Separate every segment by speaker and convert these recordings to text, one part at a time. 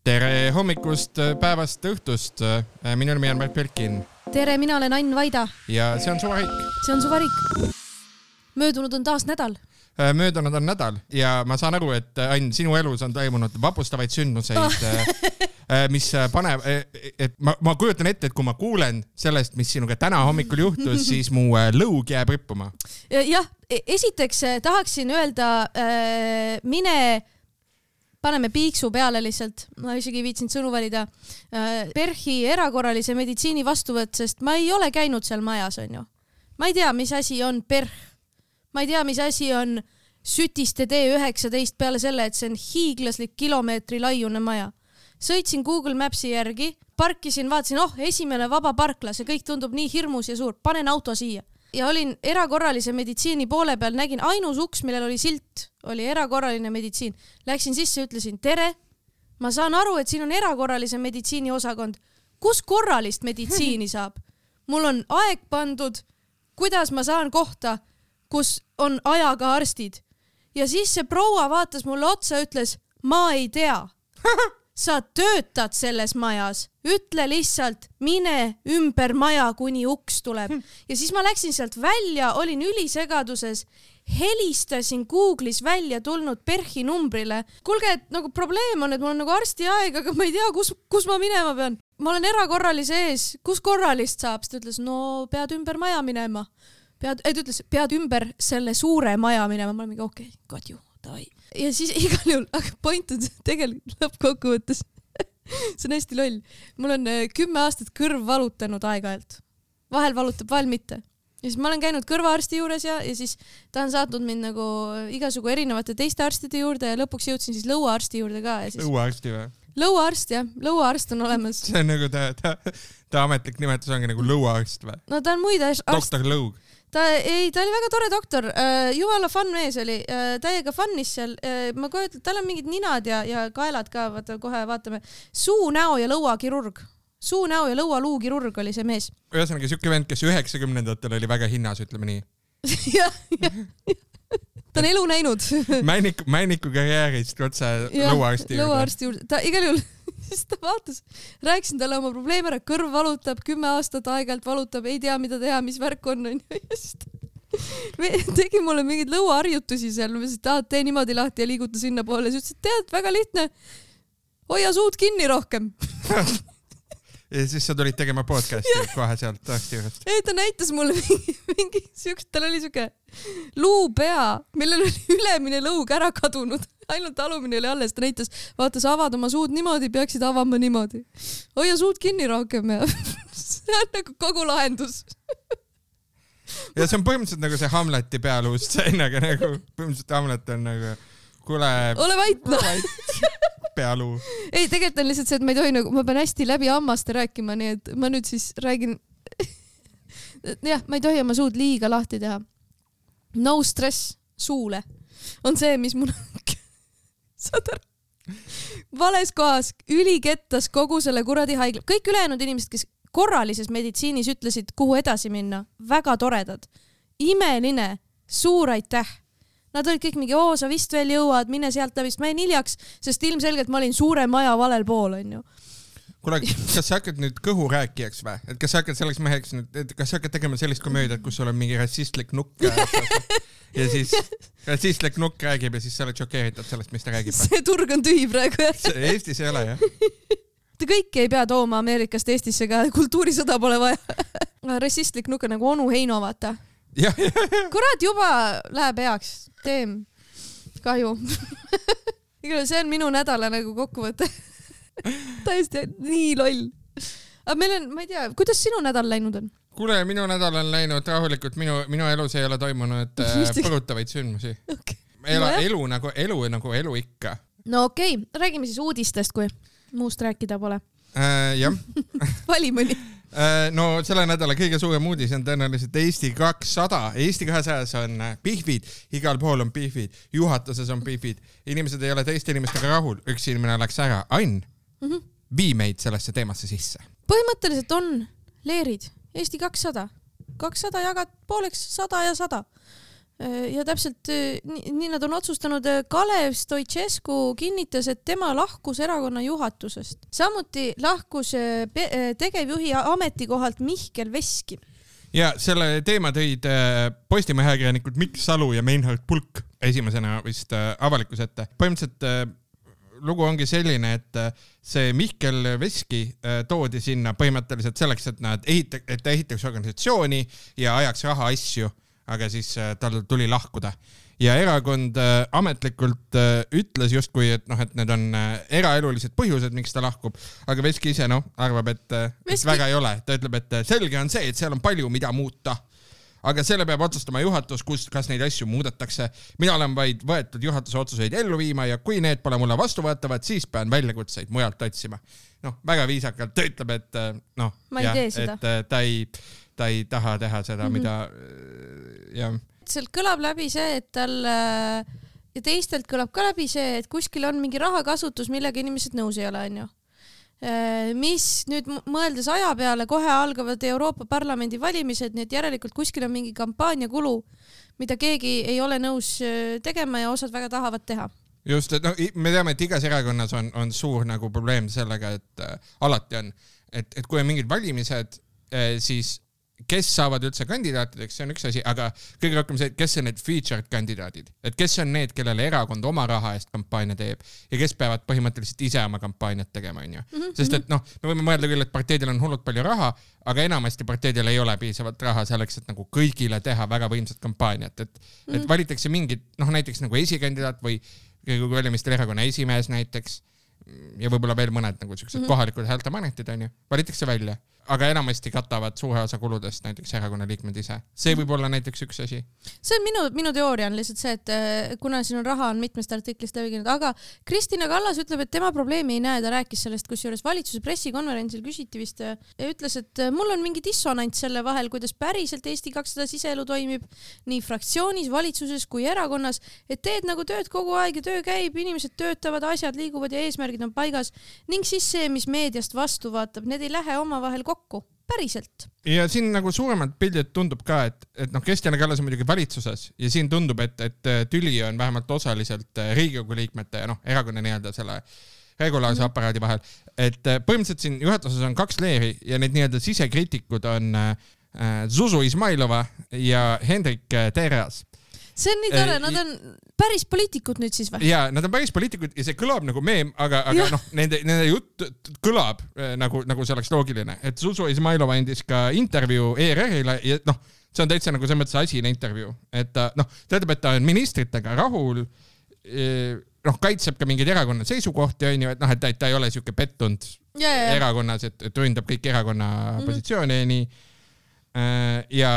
Speaker 1: Tere hommikust, päevast, õhtust. Minu nimi on Märt Belkin.
Speaker 2: Tere, mina olen Ain Vaida.
Speaker 1: Ja see on Suvarik.
Speaker 2: See on Suvarik. Möödunud on taas nädal.
Speaker 1: Möödunud on nädal ja ma saan aru, et Ain, sinu elus on toimunud vapustavaid sündmuseid, mis paneb, et ma kujutan ette, et kui ma kuulen sellest, mis sinuga täna hommikul juhtus, siis mu lõug jääb rippuma.
Speaker 2: Jah, esiteks tahaksin öelda, paneme piiksu peale lihtsalt, ma isegi ei viitsinud sõnu valida, PERH-i erakorralise meditsiini vastuvõtt, sest ma ei ole käinud seal majas, on ju. Ma ei tea, mis asi on PERH. Ma ei tea, mis asi on Sütiste D19 peale selle, et see on hiiglaslik kilomeetri laiune maja. Sõitsin Google Mapsi järgi, parkisin, vaatasin, esimene vaba parkla, see kõik tundub nii hirmus ja suur, panen auto siia. Ja olin erakorralise meditsiini poole peal, nägin ainus uks, millel oli silt, oli erakorraline meditsiin. Läksin sisse ja ütlesin, tere, ma saan aru, et siin on erakorralise meditsiini osakond. Kus korralist meditsiini saab? Mul on aeg pandud, kuidas ma saan kohta, kus on ajaga arstid. Ja siis see proua vaatas mulle otsa ja ütles, ma ei tea. Sa töötad selles majas, ütle lihtsalt, mine ümber maja, kuni uks tuleb. Ja siis ma läksin sealt välja, olin ülisegaduses, helistasin Google'is välja tulnud PERH-i numbrile. Kuulge, et nagu probleem on, et mul on nagu arsti aeg, aga ma ei tea, kus ma minema pean. Ma olen erakorralise ees, kus korralist saab? Sest ütles, no pead ümber maja minema. Pead ümber selle suure maja minema. Ma olen mingi, okei, got you, davai. Ja siis igal juhul, aga point on tegelikult lõppkokkuvõttes. See on hästi loll. Mul on 10 aastat kõrv valutanud aeg-ajalt. Vahel valutab, vahel mitte. Ja siis ma olen käinud kõrvaarsti juures ja siis ta on saatnud mind nagu igasugu erinevate teiste arstide juurde ja lõpuks jõudsin siis lõuaarsti juurde ka. Ja siis...
Speaker 1: Lõuaarsti või?
Speaker 2: Lõuaarst, jah. Lõuaarst on olemas.
Speaker 1: See on nagu ta ametlik nimetus ongi nagu lõuaarst või?
Speaker 2: No ta on muid arst.
Speaker 1: Doktor Lõug.
Speaker 2: Ta oli väga tore doktor, jumala fun mees oli, täiega funnis seal, ma kohe ütlen, tal on mingid ninad ja kaelad ka, kohe vaatame, suu, näo ja lõuakirurg, suu, näo ja lõualuukirurg oli see mees.
Speaker 1: Ühesõnaga siuke vend, kes 90-ndatel oli väga hinnas, ütleme nii.
Speaker 2: jah. Ta on elu näinud.
Speaker 1: Männiku karjäärist otse lõuaarsti juurde.
Speaker 2: Lõuaarsti juurde. Ta igal juhul, siis ta vaatas, rääkisin talle oma probleeme ära, kõrv valutab, 10 aastat aegalt valutab, ei tea, mida teha, mis värk on. Tegi mulle mingid lõuaharjutusi seal, tee niimoodi lahti ja liiguta sinna poole. Siis ütles, et tead, väga lihtne, hoia suud kinni rohkem.
Speaker 1: Ja siis sa tulid tegema podcasti kohe sealt arsti juurest.
Speaker 2: Ei, ta näitas mulle mingi siukest, tal oli siuke luupea, millel oli ülemine lõug ära kadunud. Ainult alumine oli alles, ta näitas, vaatas, avad oma suud niimoodi, peaksid avama niimoodi. Hoia suud kinni rohkem ja see on nagu kogu lahendus.
Speaker 1: Ja see on põhimõtteliselt nagu see Hamleti pealuust seenaga nagu, põhimõtteliselt Hamlet on nagu, kuule...
Speaker 2: Ole vait, no.
Speaker 1: Pealuu.
Speaker 2: Ei, tegelikult on lihtsalt see, et ma ei tohi nagu, ma pean hästi läbi hammaste rääkima, nii et ma nüüd siis räägin, jah, ma ei tohi oma suud liiga lahti teha. No stress suule on see, mis mul saad ära. Vales kohas, ülikettas kogu selle kuradi haigla. Kõik ülejäänud inimesed, kes korralises meditsiinis ütlesid, kuhu edasi minna, väga toredad. Imeline, suur aitäh. Nad olid kõik mingi, sa vist veel jõuad, mine sealt läbi, ma jäin hiljaks, sest ilmselgelt ma olin suure maja valel pool, on ju.
Speaker 1: Kuule, kas sa hakkad nüüd kõhu rääkijaks või? Et kas sa hakkad selleks meheks nüüd, et kas sa hakkad tegema sellist komöödiat, kus sul on mingi rassistlik nukk ja siis rassistlik nukk räägib ja siis sa oled šokeeritud sellest, mis ta räägib?
Speaker 2: See turg on tühi praegu.
Speaker 1: Eestis ei ole, jah?
Speaker 2: Te kõiki ei pea tooma Ameerikast Eestisse, ka kultuurisõda pole vaja. Rassistlik nukk on nagu onu Heino, vaata. Kurat, juba läheb heaks. Teem. Kahju. See on minu nädala nagu kokkuvõte. Täiesti nii loll. Aga meil on, ma ei tea, kuidas sinu nädal läinud on?
Speaker 1: Kuule, minu nädal on läinud rahulikult. Minu elus ei ole toimunud põrutavaid sündmusi. Okay. Elu nagu elu ikka.
Speaker 2: No okei, räägime siis uudistest, kui muust rääkida pole.
Speaker 1: Jah.
Speaker 2: Vali mõni.
Speaker 1: No selle nädala kõige suurem uudis on tõenäoliselt Eesti 200. Eesti 200 on pihvid, igal pool on pihvid, juhatuses on pihvid, inimesed ei ole teiste inimestega rahul, üks inimene läks ära. Ain, vii meid sellesse teemasse sisse.
Speaker 2: Põhimõtteliselt on leerid Eesti 200. 200 jagad pooleks 100 ja 100. Ja täpselt nii nad on otsustanud. Kalev Stoicescu kinnitas, et tema lahkus erakonna juhatusest. Samuti lahkus tegevjuhi ametikohalt Mihkel Veski.
Speaker 1: Ja selle teema tõid Postimehe ajakirjanikud Mikk Salu ja Meinhard Pulk esimesena vist avalikkuse ette. Põhimõtteliselt lugu ongi selline, et see Mihkel Veski toodi sinna põhimõtteliselt selleks, et nad ehitaks organisatsiooni ja ajaks raha asju, aga siis tal tuli lahkuda. Ja erakond ametlikult ütles justkui, et need on eraelulised põhjused, miks ta lahkub, aga Veski ise arvab, et väga ei ole. Ta ütleb, et selge on see, et seal on palju, mida muuta. Aga selle peab otsustama juhatus, kas neid asju muudetakse. Mina olen vaid võetud juhatuse otsuseid ellu viima ja kui need pole mulle vastuvõetavad, siis pean väljakutseid mujalt otsima. Väga viisakalt ta ütleb, et
Speaker 2: ma ei tee seda.
Speaker 1: Et ta ei taha teha seda, mida
Speaker 2: Sealt kõlab läbi see, et tal ja teistelt kõlab ka läbi see, et kuskil on mingi rahakasutus, millega inimesed nõus ei ole, on ju. Mis nüüd mõeldes aja peale kohe algavad Euroopa Parlamendi valimised, nii et järelikult kuskil on mingi kampaaniakulu, mida keegi ei ole nõus tegema ja osad väga tahavad teha.
Speaker 1: Just, et me teame, et igas erakonnas on suur probleem sellega, et alati on, et kui on mingid valimised, siis kes saavad üldse kandidaatideks, see on üks asi, aga kõige rohkem see, kes on need featured kandidaadid, et kes on need, kellele erakond oma raha eest kampaania teeb ja kes peavad põhimõtteliselt ise oma kampaaniat tegema, on ju. Sest et me võime mõelda küll, et parteidel on hullult palju raha, aga enamasti parteidel ei ole piisavalt raha selleks, et kõigile teha väga võimsat kampaaniat, et valitakse mingid, näiteks esikandidaat või valimistel erakonna esimees näiteks ja võib-olla veel mõned kohalikud häältemanetid, on ju, valitakse välja. Aga enamasti katavad suure osa kuludest näiteks erakonna liikmed ise. See võib olla näiteks üks asi.
Speaker 2: See on minu teooria on lihtsalt see, et kuna siin on raha on mitmest artiklist läbi käinud, aga Kristina Kallas ütleb, et tema probleemi ei näe, ta rääkis sellest, kusjuures valitsuse pressikonverentsil küsiti vist ja ütles, et mul on mingi dissonants selle vahel, kuidas päriselt Eesti 200 siseelu toimib nii fraktsioonis, valitsuses kui erakonnas, et teed tööd kogu aeg ja töö käib, inimesed töötavad, asjad liiguvad ja eesmärgid on paigas ning siis see, mis meediast vastu vaatab, need ei lähe omavahel kokku. Päriselt.
Speaker 1: Ja siin suuremad pildid tundub ka, et Kristjan Kallas on muidugi valitsuses ja siin tundub, et tüli on vähemalt osaliselt Riigikogu liikmete ja erakonna nii-öelda selle regulaarse aparaadi vahel. Et põhimõtteliselt siin juhatuses on 2 leeri ja need nii-öelda sisekriitikud on Zuzu Izmailova ja Hendrik Terras.
Speaker 2: See on nii tore, nad on päris poliitikud nüüd siis või?
Speaker 1: Jaa, nad on päris poliitikud ja see kõlab meem, aga nende jutt kõlab nagu see oleks loogiline. Et Zuzu Izmailova endis ka intervjuu ERR-ile ja see on täitsa see mõttes asine intervjuu. Et ta ütleb, et ta on ministritega rahul, kaitseb ka mingid erakonna seisukohti, on ju, et ta ei ole siuke pettunud erakonnas, et ründab kõik erakonna positsioone ja nii. Ja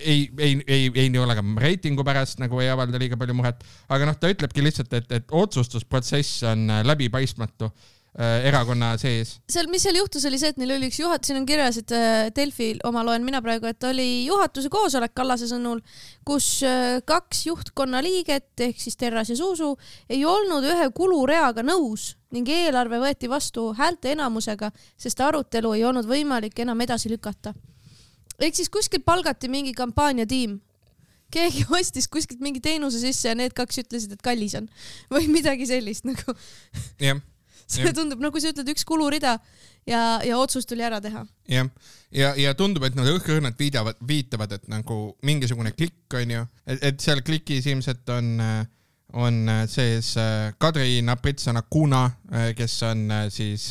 Speaker 1: ei ole ka reitingu pärast ei avalda liiga palju muret, aga ta ütlebki lihtsalt, et otsustusprotsess on läbipaistmatu erakonna sees.
Speaker 2: Mis seal juhtus oli see, et neil oli üks siin on kirjas, et Delfi oma loen mina praegu, et oli juhatuse koosolek Kallase sõnul, kus 2 juhtkonna liiget ehk siis Terras ja Zuzu ei olnud ühe kulureaga nõus ning eelarve võeti vastu häälte enamusega, sest arutelu ei olnud võimalik enam edasi lükata. Ehk siis kuskil palgati mingi kampaaniatiim. Keegi ostis kuskilt mingi teenuse sisse ja need 2 ütlesid, et kallis on. Või midagi sellist See tundub, kui sa ütled üks kulurida ja otsus tuli ära teha.
Speaker 1: Ja tundub, et nad õhkõrnad viitavad, et mingisugune klikk on ju, et seal klikis ilmselt on sees Kadri Napritsana-Kuna, kes on siis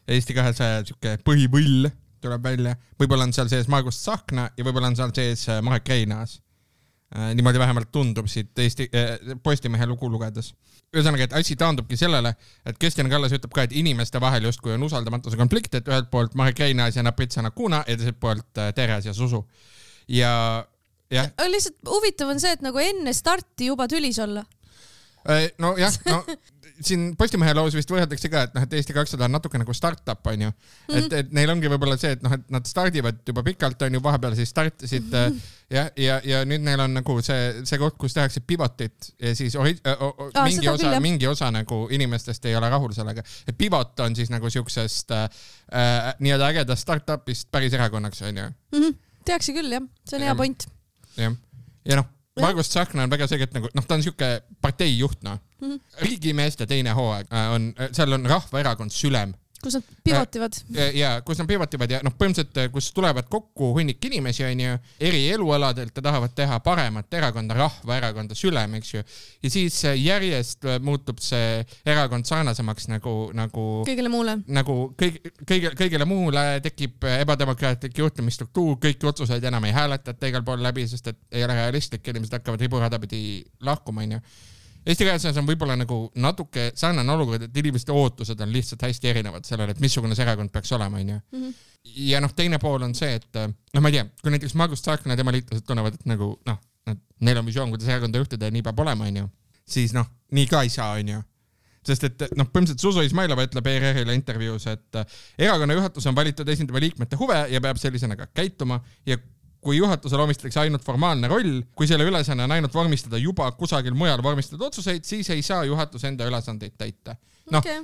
Speaker 1: Eesti 200 põhivõll tuleb välja. Võib-olla on seal sees Margus Tsahkna ja võib-olla on seal sees Marek Reinaas. Niimoodi vähemalt tundub siit Postimehe lugu lugedes. Ühesõnaga, et asi taandubki sellele, et Kristjan Kallas ütleb ka, et inimeste vahel justkui on usaldamatuse konflikt, et ühelt poolt Marek Reinaas ja Napritsana-Kuna ja teiselt poolt Terras ja Zuzu.
Speaker 2: Lihtsalt huvitav on see, et enne starti juba tülis olla.
Speaker 1: Siin Postimehe loos vist võrreldakse ka, et Eesti 200 on natuke startup, on ju. Et neil ongi võib-olla see, et nad stardivad juba pikalt, on ju, vahepeal siis startisid ja nüüd neil on see koht, kus tehakse pivotit ja siis mingi osa inimestest ei ole rahul sellega. Et pivot on siis siuksest nii-öelda ägedast startupist päris erakonnaks, on ju.
Speaker 2: Tehakse küll, jah. See on hea point.
Speaker 1: Ja Margus Tsahkna on väga selgelt nagu, ta on siuke parteijuht, Riigimeeste teine hooaeg seal on Rahvaerakond Sülem.
Speaker 2: Kus nad pivotivad.
Speaker 1: Kus nad pivotivad ja põhimõtteliselt, kus tulevad kokku hunnik inimesi, on ju, eri elualadelt ja tahavad teha paremat erakonda, Rahvaerakonda Sülem, eks ju. Ja siis järjest muutub see erakond sarnasemaks nagu
Speaker 2: kõigele muule.
Speaker 1: Nagu kõigele muule tekib ebademokraatlik juhtimisstruktuur, kõiki otsuseid enam ei hääletata igal pool läbi, sest et ei ole realistlik, inimesed hakkavad riburada pidi lahkuma, on ju. Eesti 200 on võib-olla nagu natuke sarnane olukord, et inimeste ootused on lihtsalt hästi erinevad sellele, et missugune see erakond peaks olema, on ju. Ja teine pool on see, et ma ei tea, kui näiteks Margus Tsahkna ja tema liitlased tunnevad, et nagu neil on visioon, kuidas erakonda juhtida ja nii peab olema, on ju, siis nii ka ei saa, on ju. Sest et põhimõtteliselt Zuzu Izmailova ütleb ERR-ile intervjuus, et erakonna juhatus on valitud esindava liikmete huve ja peab sellisena ka käituma ja kui juhatusele omistatakse ainult formaalne roll, kui selle ülesanne on ainult vormistada juba kusagil mujal vormistatud otsuseid, siis ei saa juhatus enda ülesandeid täita.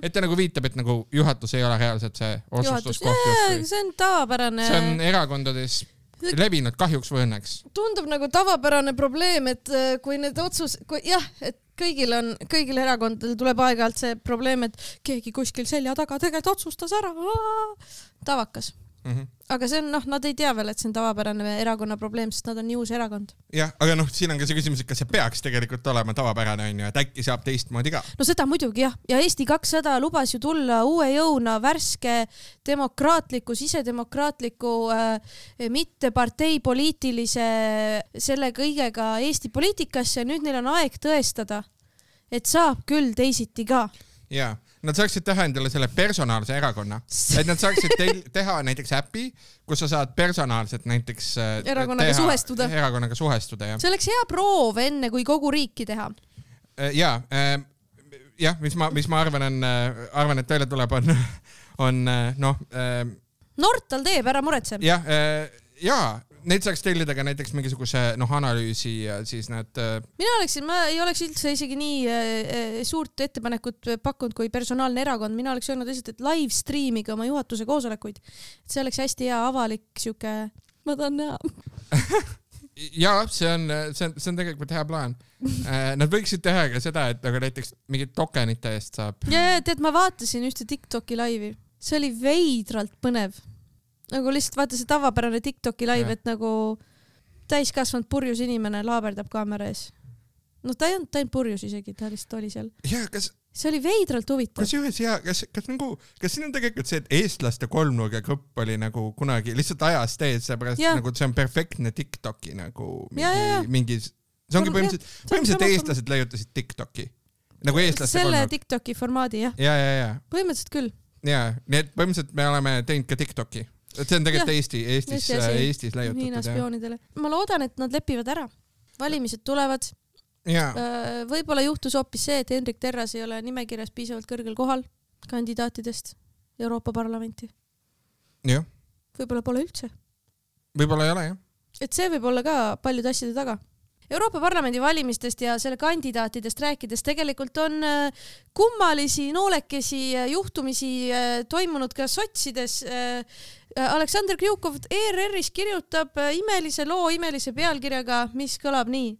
Speaker 1: Et ta nagu viitab, et nagu juhatus ei ole reaalselt see otsustuskoht.
Speaker 2: See on tavapärane.
Speaker 1: See on erakondades levinud kahjuks või õnneks.
Speaker 2: Tundub nagu tavapärane probleem, et kui need et kõigil erakondadel tuleb aeg-ajalt see probleem, et keegi kuskil selja taga tegelikult otsustas ära. Tavakas. Aga see on, nad ei tea veel, et see on tavapärane erakonna probleem, sest nad on nii uus erakond.
Speaker 1: Jah, aga siin on ka see küsimus, et kas see peaks tegelikult olema tavapärane, on ju, et äkki saab teistmoodi ka.
Speaker 2: No seda muidugi jah. Ja Eesti 200 lubas ju tulla uue jõuna värske demokraatliku, sisedemokraatliku, mitte parteipoliitilise selle kõigega Eesti poliitikasse ja nüüd neil on aeg tõestada, et saab küll teisiti ka.
Speaker 1: Jaa. Nad saaksid teha endale selle personaalse erakonna, et nad saaksid teha näiteks äpi, kus sa saad personaalselt näiteks
Speaker 2: erakonnaga
Speaker 1: suhestuda. Ja.
Speaker 2: See oleks hea proov enne, kui kogu riiki teha.
Speaker 1: Mis ma arvan, et teile tuleb on
Speaker 2: Nortal teeb, ära muretse.
Speaker 1: Neid saaks tellida ka näiteks mingisuguse analüüsi ja siis nad...
Speaker 2: Ma ei oleks üldse isegi nii suurt ettepanekut pakkunud kui personaalne erakond. Mina oleks öelnud lihtsalt, et live streamiga oma juhatuse koosolekuid. Et see oleks hästi hea avalik siuke... Ma tahan näha.
Speaker 1: Jaa, see on tegelikult hea plaan. Nad võiksid teha ka seda, et aga näiteks mingid tokenite eest saab.
Speaker 2: Ja, tead, ma vaatasin ühte TikToki laivi. See oli veidralt põnev. Nagu lihtsalt vaata see tavapärane TikToki live, et nagu täiskasvanud purjus inimene laaberdab kaamera ees. Ta ei olnud purjus isegi, ta lihtsalt oli seal. See oli veidralt huvitav.
Speaker 1: Kas siin on tegelikult see, et eestlaste kolmnurga grupp oli nagu kunagi lihtsalt ajast ees, seepärast nagu see on perfektne TikToki nagu mingis... See ongi põhimõtteliselt eestlased leiutasid TikToki. Nagu eestlaste
Speaker 2: selle TikToki formaadi, jah.
Speaker 1: Ja.
Speaker 2: Põhimõtteliselt küll.
Speaker 1: Jaa, nii et põhimõtteliselt me oleme teinud ka TikToki. See on tegelikult Eestis leiutatud.
Speaker 2: Hiina spioonidele. Ma loodan, et nad lepivad ära. Valimised tulevad. Võib-olla juhtus hoopis see, et Hendrik Terras ei ole nimekirjas piisavalt kõrgel kohal kandidaatidest Euroopa Parlamenti.
Speaker 1: Jah.
Speaker 2: Võib-olla pole üldse.
Speaker 1: Võib-olla ei ole, jah.
Speaker 2: Et see võib olla ka paljude asjade taga. Euroopa Parlamendi valimistest ja selle kandidaatidest rääkides tegelikult on kummalisi, noolekesi juhtumisi toimunud ka sotsides. Aleksander Kriukov ERR-is kirjutab imelise loo imelise pealkirjaga, mis kõlab nii.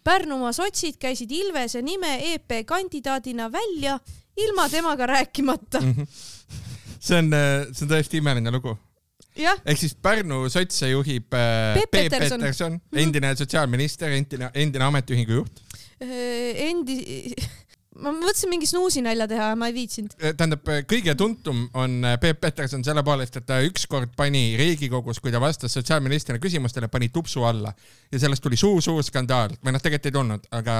Speaker 2: Pärnumaa sotsid käisid Ilvese nime EP kandidaadina välja ilma temaga rääkimata.
Speaker 1: See on tõesti imeline lugu. Ehk siis Pärnu sotse juhib Peep Peterson, endine sotsiaalminister, endine ametiühingu juht.
Speaker 2: Ma mõtlesin mingi snuusinälja teha, ma ei viitsinud.
Speaker 1: Tähendab, kõige tuntum on Peep Peterson selle poolest, et ta ükskord pani Riigikogus, kui ta vastas sotsiaalministrina küsimustele, pani tupsu alla. Ja sellest tuli suur skandaal. Või tegelikult ei tulnud, aga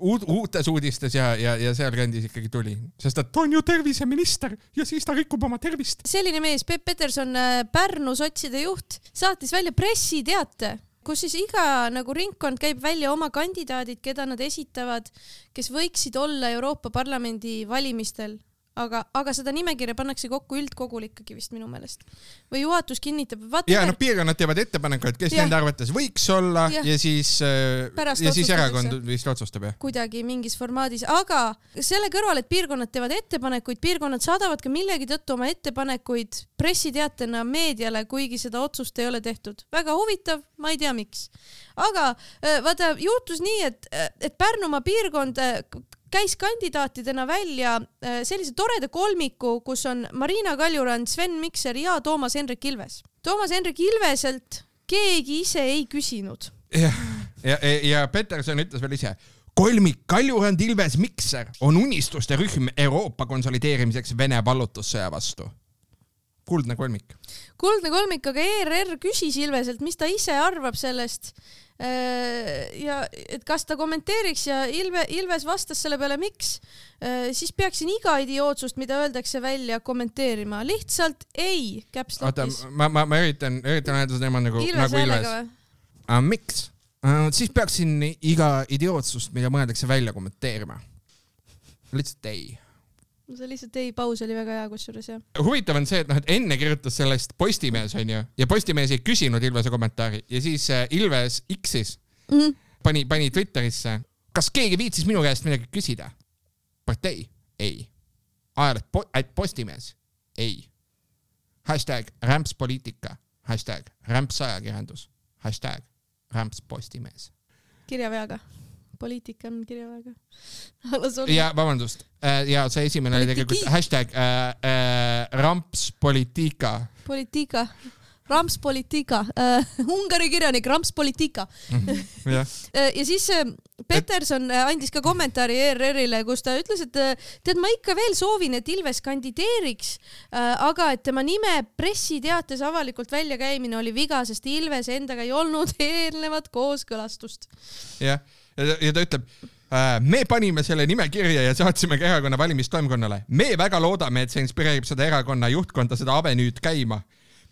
Speaker 1: uutes uudistes ja seal kandis ikkagi tuli. Sest ta on ju terviseminister ja siis ta rikub oma tervist.
Speaker 2: Selline mees, Peep Peterson, Pärnu sotside juht, saatis välja pressiteate, kus siis iga nagu ringkond käib välja oma kandidaadid, keda nad esitavad, kes võiksid olla Euroopa Parlamendi valimistel. aga seda nimekirja pannakse kokku üldkogul ikkagi vist minu meelest. Või juhatus kinnitab.
Speaker 1: Ja piirkonnad teevad ettepanekuid, kes nende arvates võiks olla ja siis erakond vist otsustab.
Speaker 2: Kuidagi mingis formaadis, aga selle kõrval, et piirkonnad teevad ettepanekuid, piirkonnad saadavad ka millegi tõttu oma ettepanekuid pressiteatena meediale, kuigi seda otsust ei ole tehtud. Väga huvitav, ma ei tea miks. Aga vaata, juhtus nii, et Pärnumaa piirkond käis kandidaatidena välja sellise toreda kolmiku, kus on Marina Kaljurand, Sven Mikser ja Toomas Hendrik Ilves. Toomas Hendrik Ilveselt keegi ise ei küsinud.
Speaker 1: Ja Peterson ütles veel ise, kolmik Kaljurand, Ilves, Mikser on unistuste rühm Euroopa konsolideerimiseks Vene vallutussõja vastu. Kuldne kolmik.
Speaker 2: Kuldne kolmik, aga ERR küsis Ilveselt, mis ta ise arvab sellest ja et kas ta kommenteeriks ja Ilves vastas selle peale miks, siis peaksin iga idiootsust, mida öeldakse välja kommenteerima. Lihtsalt ei, käpslokis.
Speaker 1: Ma üritan öelda seda tema nagu Ilves. Miks? Siis peaksin iga idiootsust, mida mõeldakse välja kommenteerima. Lihtsalt ei.
Speaker 2: See lihtsalt ei, paus oli väga hea kusjuures, jah.
Speaker 1: Huvitav on see, et enne kirjutas sellest Postimees, on ju, ja Postimees ei küsinud Ilvese kommentaari ja siis Ilves X-is pani Twitterisse, kas keegi viitsis minu käest midagi küsida? Partei? Ei. Ajaleht Postimees? Ei. #rämpspoliitika, #rämpsajakirjandus, #rämpspostimees.
Speaker 2: Kirjaveaga. Poliitika on kirjaväega.
Speaker 1: Ja vabandust. Ja see esimene oli tegelikult #rampspoliitika.
Speaker 2: Poliitika. Rampspoliitika. Ungari kirjanik Rampspoliitika. Ja siis Peterson andis ka kommentaari ERR-ile, kus ta ütles, et tead, ma ikka veel soovin, et Ilves kandideeriks, aga et tema nime pressiteates avalikult väljakäimine oli viga, sest Ilves endaga ei olnud eelnevat kooskõlastust.
Speaker 1: Jah. Ja ta ütleb, me panime selle nime kirja ja saatsime ka erakonna valimistoimkonnale. Me väga loodame, et see inspireerib seda erakonna juhtkonda seda avenüüd käima.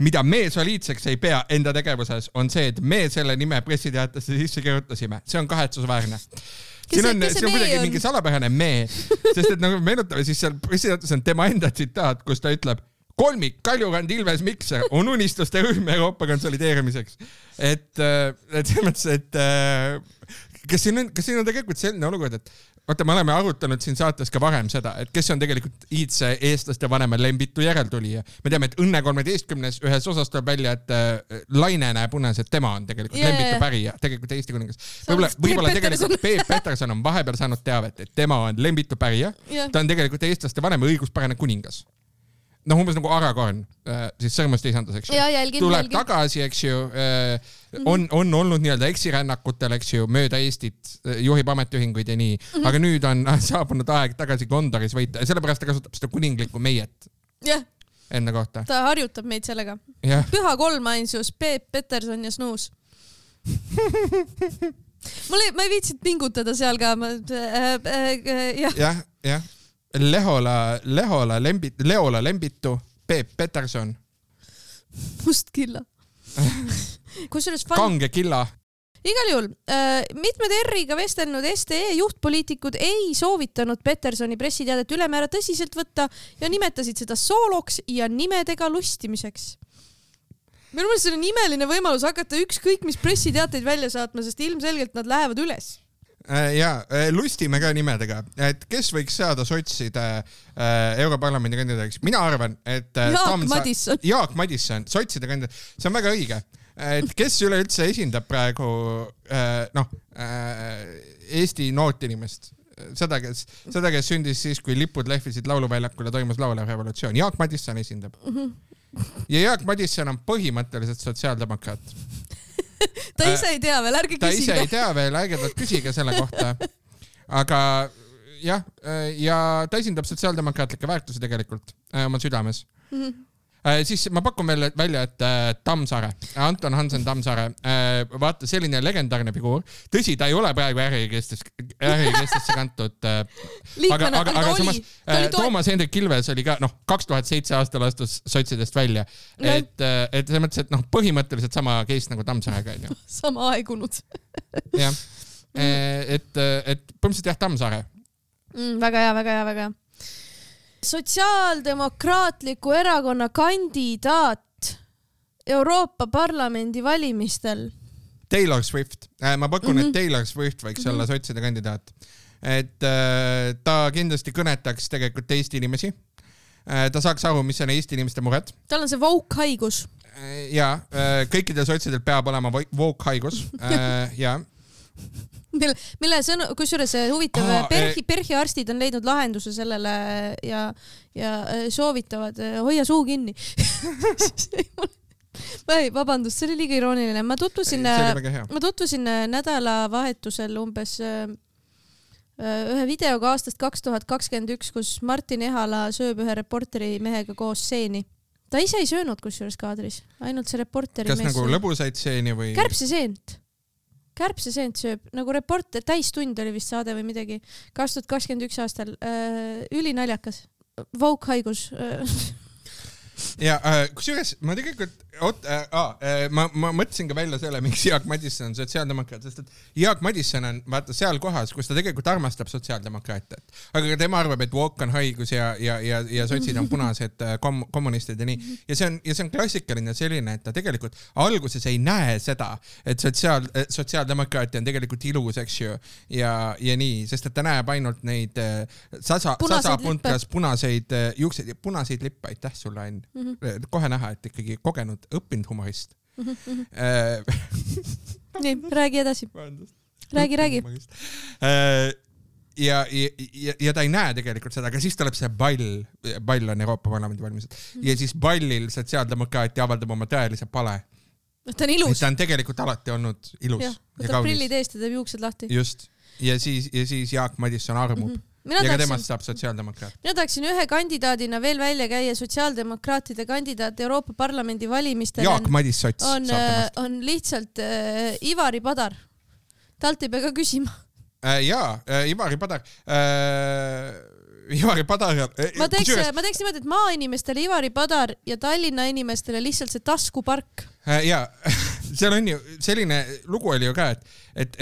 Speaker 1: Mida me soliidseks ei pea enda tegevuses on see, et me selle nime pressiteatesse sisse kirjutasime. See on kahetsusväärne. Siin on kuidagi mingi salapärane me, sest et nagu meenutame, siis seal pressiteates on tema enda tsitaat, kus ta ütleb, kolmik Kaljurand, Ilves, Mikser on unistuste rühm Euroopa konsolideerimiseks. Et selles mõttes, et kas siin on tegelikult selline olukord, et vaata, me oleme arutanud siin saates ka varem seda, et kes on tegelikult iidse eestlaste vanema Lembitu järeltulija. Me teame, et Õnne 13. ühes osas tuleb välja, et Laine näeb unes, et tema on tegelikult Lembitu pärija, tegelikult Eesti kuningas. Võib-olla tegelikult Peep Peterson on vahepeal saanud teavet, et tema on Lembitu pärija. Ta on tegelikult eestlaste vanem õiguspärane kuningas. Umbes nagu Aragorn, siis sõrmust isandus, eks ju. Tuleb tagasi, eks ju, on olnud nii-öelda eksirännakutel, eks ju, mööda Eestit, juhib ametiühinguid ja nii, aga nüüd on saabunud aeg tagasi Gondoris võita ja sellepärast ta kasutab seda kuninglikku meiet enda kohta.
Speaker 2: Ta harjutab meid sellega. Püha kolmainsus, Peep, Peterson ja Snuus. Ma ei viitsid pingutada seal ka.
Speaker 1: Jah. Leola Lembitu, Peep Peterson.
Speaker 2: Mustkilla.
Speaker 1: Kange killa.
Speaker 2: Igal juhul, mitmed R-iga vestelnud STE juhtpoliitikud ei soovitanud Petersoni pressiteadet ülemäära tõsiselt võtta ja nimetasid seda sooloks ja nimedega lustimiseks. Minu meelest see on imeline võimalus hakata ükskõik mis pressiteateid välja saatma, sest ilmselgelt nad lähevad üles.
Speaker 1: Ja lustime ka nimedega, et kes võiks saada sotside Europarlamendi kandidaadiks. Mina arvan, et Jaak Madisson, sotside kandidaat, see on väga õige. Et kes üleüldse esindab praegu Eesti noort inimest, seda, kes sündis siis, kui lipud lehvisid lauluväljakul ja toimus laulev revolutsioon. Jaak Madisson esindab. Ja Jaak Madisson on põhimõtteliselt sotsiaaldemokraat.
Speaker 2: Ta ise ei tea veel, ärge küsige.
Speaker 1: Ta ise ei tea veel, ärge küsige selle kohta. Aga jah, ja ta esindab sotsiaaldemokraatlikke väärtusi tegelikult oma südames. Siis ma pakun veel välja, et Tammsaare, Anton Hansen Tammsaare, vaata selline legendaarne figuur. Tõsi, ta ei ole praegu ärikestesse kantud. Aga samas Toomas Hendrik Ilves oli ka 2007 aastal astus sotsidest välja. Et selles mõttes, et põhimõtteliselt sama case nagu Tammsaarega.
Speaker 2: Sama aegunud.
Speaker 1: Jah. Et põhimõtteliselt jah, Tammsaare.
Speaker 2: Väga hea. Sotsiaaldemokraatliku erakonna kandidaat Euroopa Parlamendi valimistel.
Speaker 1: Taylor Swift. Ma pakun, et Taylor Swift võiks olla sotside kandidaat. Et ta kindlasti kõnetaks tegelikult Eesti inimesi. Ta saaks aru, mis on Eesti inimeste mured.
Speaker 2: Tal on see woke-haigus.
Speaker 1: Ja, kõikidel sotsidel peab olema woke-haigus. Ja.
Speaker 2: Mille sõnu, kusjuures huvitav, Perhi arstid on leidnud lahenduse sellele ja soovitavad, hoia suu kinni. Vabandust, see oli liiga irooniline. Ma tutvusin nädalavahetusel umbes ühe videoga aastast 2021, kus Martin Ehala sööb ühe reporteri mehega koos seeni. Ta ise ei söönud kusjuures kaadris, ainult see reporteri
Speaker 1: mees. Kas nagu lõbusaid seeni või? Kärbseseent sööb, nagu reporter, täistund oli vist saade või midagi. 2021 aastal, ülinaljakas. Vogue-haigus. Ja kusjuures ma tegelikult ma mõtlesin ka välja selle, miks Jaak Madison on sotsiaaldemokraat, sest et Jaak Madison on vaata seal kohas, kus ta tegelikult armastab sotsiaaldemokraatiat. Aga tema arvab, et woke on haigus ja sotsid on punased kommunistid ja nii. Ja see on klassikaline selline, et ta tegelikult alguses ei näe seda, et sotsiaaldemokraatia on tegelikult ilus, eks ju, ja nii, sest et ta näeb ainult neid sasapuntras punaseid juukseid ja punaseid lippe, aitäh sulle, Ain. Kohe näha, et ikkagi kogenud õppinud humorist.
Speaker 2: Nii, räägi edasi. Räägi.
Speaker 1: Ja ta ei näe tegelikult seda, aga siis tuleb see pall on Euroopa Parlamendi valimised. Ja siis pallil sotsiaaldemokraatia avaldab oma tõelise pale.
Speaker 2: Ta on ilus.
Speaker 1: Ta on tegelikult alati olnud ilus ja kaunis.
Speaker 2: Ta prillid eest ja teeb juuksed lahti.
Speaker 1: Just. Ja siis Jaak Madison armub. Ja ka temast saab sotsiaaldemokraat.
Speaker 2: Mina tahaksin ühe kandidaadina veel välja käia sotsiaaldemokraatide kandidaat Euroopa Parlamendi valimistel.
Speaker 1: Jaak Madis sots
Speaker 2: on lihtsalt Ivari Padar. Talt ei pea ka küsima.
Speaker 1: Ivari Padar. Ma
Speaker 2: teeks niimoodi, et maainimestele Ivari Padar ja Tallinna inimestele lihtsalt see taskupark.
Speaker 1: Ja seal on ju selline lugu oli ju ka, et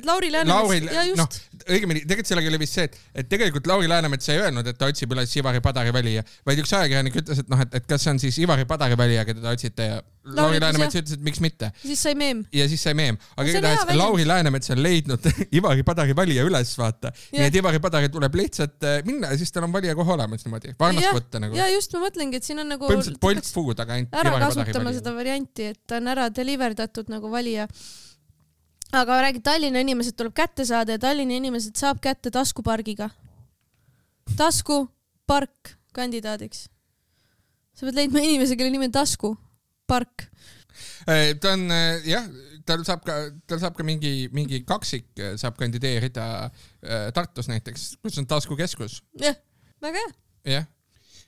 Speaker 2: Lauri Läänemets, ja just.
Speaker 1: Õigemini, tegelikult sellega oli vist see, et tegelikult Lauri Läänemets ei öelnud, et ta otsib üles Ivari Padari valija, vaid üks ajakirjanik ütles, et kas see on siis Ivari Padari valija, keda ta otsite ja Lauri Läänemets ütles, et miks mitte.
Speaker 2: Siis sai meem.
Speaker 1: Ja siis sai meem. Aga Lauri Läänemets on leidnud Ivari Padari valija üles vaata. Nii et Ivari Padari tuleb lihtsalt minna ja siis tal on valija kohe olemas niimoodi. Varnast võtta nagu.
Speaker 2: Ja just ma mõtlengi, et siin on nagu
Speaker 1: põhimõtteliselt Bolt Food, aga ainult Ivari Padari valija.
Speaker 2: Kasutama seda varianti, et ta on ära deliverdatud nagu valija. Aga räägi, Tallinna inimesed tuleb kätte saada ja Tallinna inimesed saab kätte taskupargiga. Taskupark kandidaadiks. Sa pead leidma inimese, kelle nimi on Taskupark.
Speaker 1: Ta on, jah, tal saab ka mingi kaksik saab kandideerida Tartus näiteks, kus on Taskukeskus.
Speaker 2: Jah, väga hea.
Speaker 1: Jah.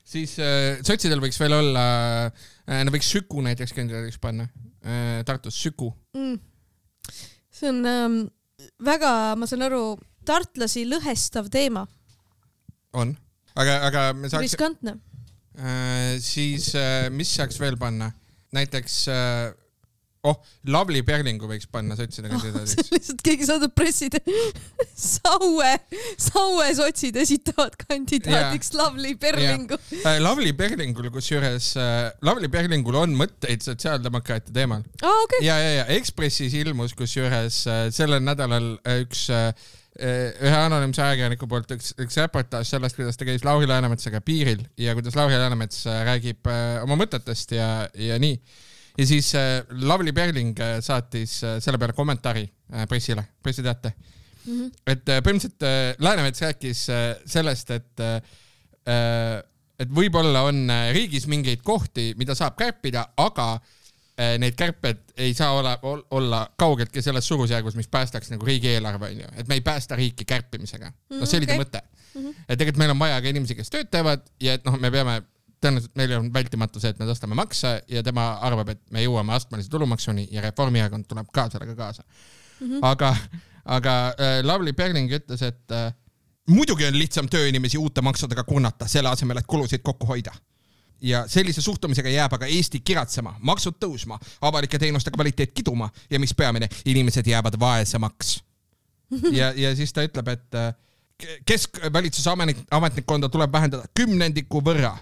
Speaker 1: Siis sotsidel võiks veel olla, nad võiks Süku näiteks kandidaadiks panna. Tartus Süku.
Speaker 2: See on väga, ma saan aru, tartlasi lõhestav teema.
Speaker 1: On. Aga me saaks...
Speaker 2: Riskantne.
Speaker 1: Siis mis saaks veel panna? Näiteks... Lavly Perlingu võiks panna sotside kandidaadiks.
Speaker 2: Lihtsalt keegi saadab presside. Saue sotsid esitavad kandidaadiks Lavly Perlingu.
Speaker 1: Lavly Perlingul, kusjuures Lavly Perlingul on mõtteid sotsiaaldemokraatia teemal.
Speaker 2: Okay.
Speaker 1: Ja Ekspressis ilmus, kusjuures sellel nädalal ühe anonüümse ajakirjaniku poolt üks reportaaž sellest, kuidas ta käis Lauri Läänemetsaga piiril ja kuidas Lauri Läänemets räägib oma mõtetest ja nii. Ja siis Lavly Perling saatis selle peale kommentaari pressiteate. Et põhimõtteliselt Läänemets rääkis sellest, et võib-olla on riigis mingeid kohti, mida saab kärpida, aga need kärped ei saa olla kaugeltki selles suurusjärgus, mis päästaks nagu riigieelarve, et me ei päästa riiki kärpimisega. See oli ta mõte. Et tegelikult meil on vaja ka inimesi, kes tööd teevad ja et me peame tõenäoliselt meil on vältimatu see, et me tõstame makse ja tema arvab, et me jõuame astmelise tulumaksuni ja Reformierakond tuleb ka sellega kaasa. Aga Lavly Perling ütles, et muidugi on lihtsam tööinimesi uute maksudega kurnata, selle asemel, et kulusid kokku hoida. Ja sellise suhtumisega jääb aga Eesti kiratsema, maksud tõusma, avalike teenuste kvaliteet kiduma ja mis peamine, inimesed jäävad vaesemaks. Ja siis ta ütleb, et keskvalitsuse ametnikkonda tuleb vähendada 10% võrra.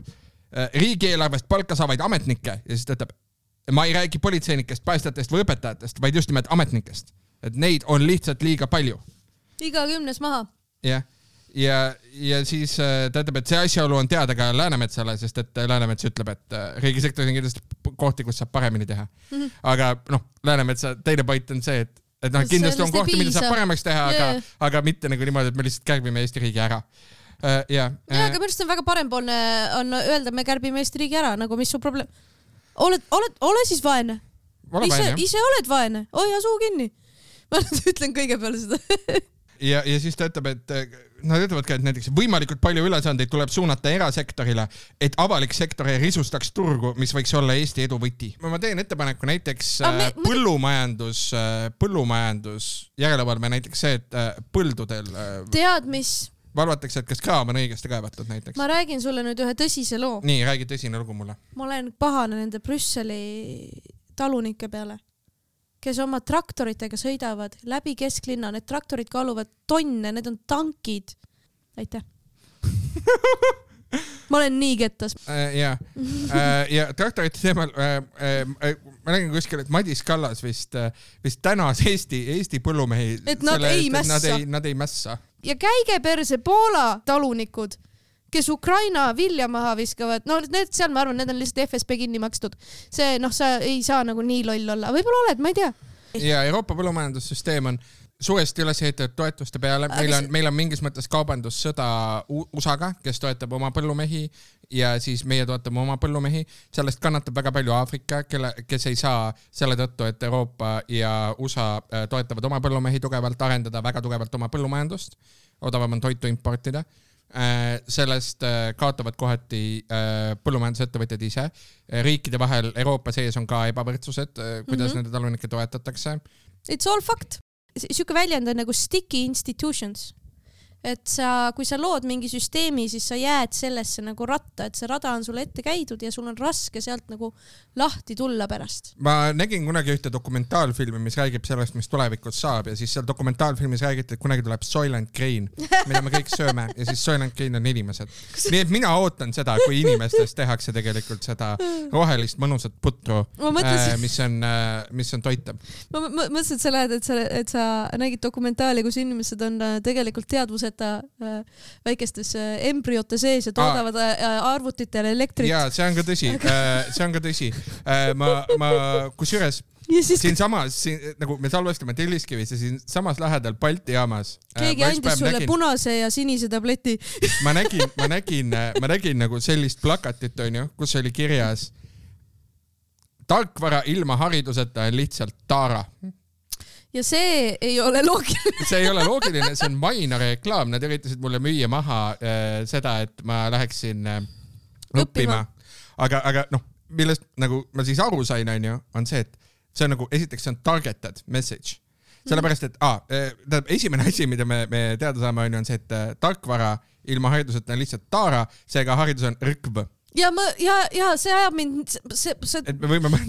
Speaker 1: Riigieelarvest palka saavaid ametnikke ja siis ta ütleb, ma ei räägi politseinikest, päästajatest või õpetajatest, vaid just nimelt ametnikest. Et neid on lihtsalt liiga palju.
Speaker 2: Iga 10 maha.
Speaker 1: Jah. Ja siis ta ütleb, et see asjaolu on teada ka Läänemetsale, sest et Läänemets ütleb, et riigisektoris on kindlasti kohti, kus saab paremini teha. Aga Läänemetsa teine point on see, et kindlasti on kohti, mida saab paremaks teha, aga mitte nagu niimoodi, et me lihtsalt kärbime Eesti riigi ära.
Speaker 2: Aga minu arust on väga parempoolne on öelda, et me kärbime Eesti riigi ära, nagu mis su probleem. Ole siis vaene. Ise oled vaene. Hoia suu kinni. Ma ütlen kõige peale seda.
Speaker 1: Ja siis ta ütleb, et nad ütlevad ka, et näiteks võimalikult palju ülesandeid tuleb suunata erasektorile, et avalik sektor ei risustaks turgu, mis võiks olla Eesti edu võti. Ma teen ettepaneku näiteks põllumajandus järelevalve näiteks see, et põldudel
Speaker 2: tead, mis
Speaker 1: valvatakse, et kas kraam on õigesti kaevatud näiteks.
Speaker 2: Ma räägin sulle nüüd ühe tõsise loo.
Speaker 1: Nii, räägi tõsine lugu mulle.
Speaker 2: Ma olen pahane nende Brüsseli talunike peale, kes oma traktoritega sõidavad läbi kesklinna. Need traktorid kaaluvad tonne, need on tankid. Aitäh. Ma olen nii kettas.
Speaker 1: Ja traktorite teemal ma nägin kuskil, et Madis Kallas vist tänas Eesti põllumehi.
Speaker 2: Et nad ei mässa.
Speaker 1: Nad ei mässa.
Speaker 2: Ja käige perse Poola talunikud, kes Ukraina vilja maha viskavad. No need seal, ma arvan, need on lihtsalt FSB kinni makstud. See, sa ei saa nagu nii loll olla. Võib-olla oled, ma ei tea.
Speaker 1: Ja Euroopa põllumajandussüsteem on suuresti üles ehitatud toetuste peale. Meil on mingis mõttes kaubandussõda USA-ga, kes toetab oma põllumehi ja siis meie toetame oma põllumehi. Sellest kannatab väga palju Aafrika, kes ei saa selle tõttu, et Euroopa ja USA toetavad oma põllumehi tugevalt, arendada väga tugevalt oma põllumajandust. Odavam on toitu importida. Sellest kaotavad kohati põllumajandusettevõtjad ise. Riikide vahel Euroopa sees on ka ebavõrdsused, kuidas nende talunikke toetatakse.
Speaker 2: It's all fact. Siuke väljend on nagu sticky institutions. Et kui sa lood mingi süsteemi, siis sa jääd sellesse nagu ratta, et see rada on sulle ette käidud ja sul on raske sealt nagu lahti tulla pärast.
Speaker 1: Ma nägin kunagi ühte dokumentaalfilmi, mis räägib sellest, mis tulevikus saab ja siis seal dokumentaalfilmis räägiti, et kunagi tuleb Soylent Green, mida me kõik sööme ja siis Soylent Green on inimesed. Nii et mina ootan seda, kui inimestest tehakse tegelikult seda rohelist mõnusat putru, mis on toitav.
Speaker 2: Ma mõtlesin, et sa lähed, et sa nägid dokumentaali, kus inimesed on tegelikult teadvused väikestes embryote sees ja toodavad arvutitele elektrit.
Speaker 1: Jaa, see on ka tõsi. Ma kusjuures siin samas, nagu me salvestame Telliskivis ja siin samas lähedal Balti jaamas.
Speaker 2: Keegi andis sulle punase ja sinise tableti.
Speaker 1: Ma nägin nagu sellist plakatit, kus oli kirjas tarkvara ilma hariduseta on lihtsalt taara.
Speaker 2: Ja see ei ole loogiline.
Speaker 1: See ei ole loogiline, see on maina reklaam. Nad üritasid mulle müüa maha seda, et ma läheksin õppima. Aga millest nagu ma siis aru sain, on see, et see on nagu, esiteks see on targeted message. Sellepärast, et esimene asi, mida me teada saame, on see, et tarkvara ilma hariduseta on lihtsalt taara, seega haridus on rõkv.
Speaker 2: Ja see ajab mind,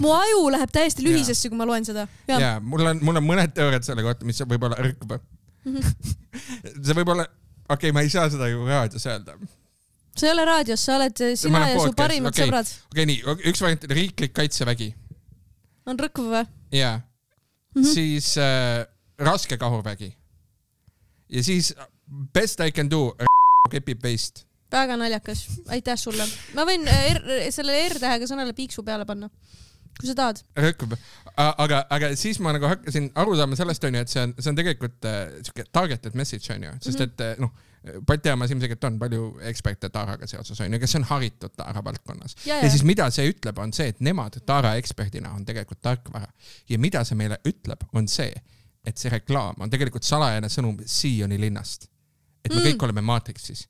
Speaker 2: mu aju läheb täiesti lühisesse, kui ma loen seda.
Speaker 1: Ja, mul on mõned teooriad selle kohta, mis võib olla rõkv. See võib olla, ma ei saa seda ju raadios öelda.
Speaker 2: See ei ole raadios, sa oled sina ja su parimad sõbrad.
Speaker 1: Nii, üks variant riiklik kaitsevägi.
Speaker 2: On rõkv või?
Speaker 1: Ja, siis raske kahurvägi. Ja siis best I can do, kepib veist.
Speaker 2: Väga naljakas. Aitäh sulle. Ma võin selle R-tähega sõnale piiksu peale panna, kui sa tahad.
Speaker 1: Rõkub. Aga siis ma nagu hakkasin aru saama sellest, et see on tegelikult targeted message, sest et Balti jaamas ilmselt on palju eksperte taaraga seoses, kes on haritud taara valdkonnas. Ja siis mida see ütleb, on see, et nemad taara eksperdina on tegelikult tarkvara. Ja mida see meile ütleb, on see, et see reklaam on tegelikult salajane sõnum Sioni linnast. Et me kõik oleme Matrixis.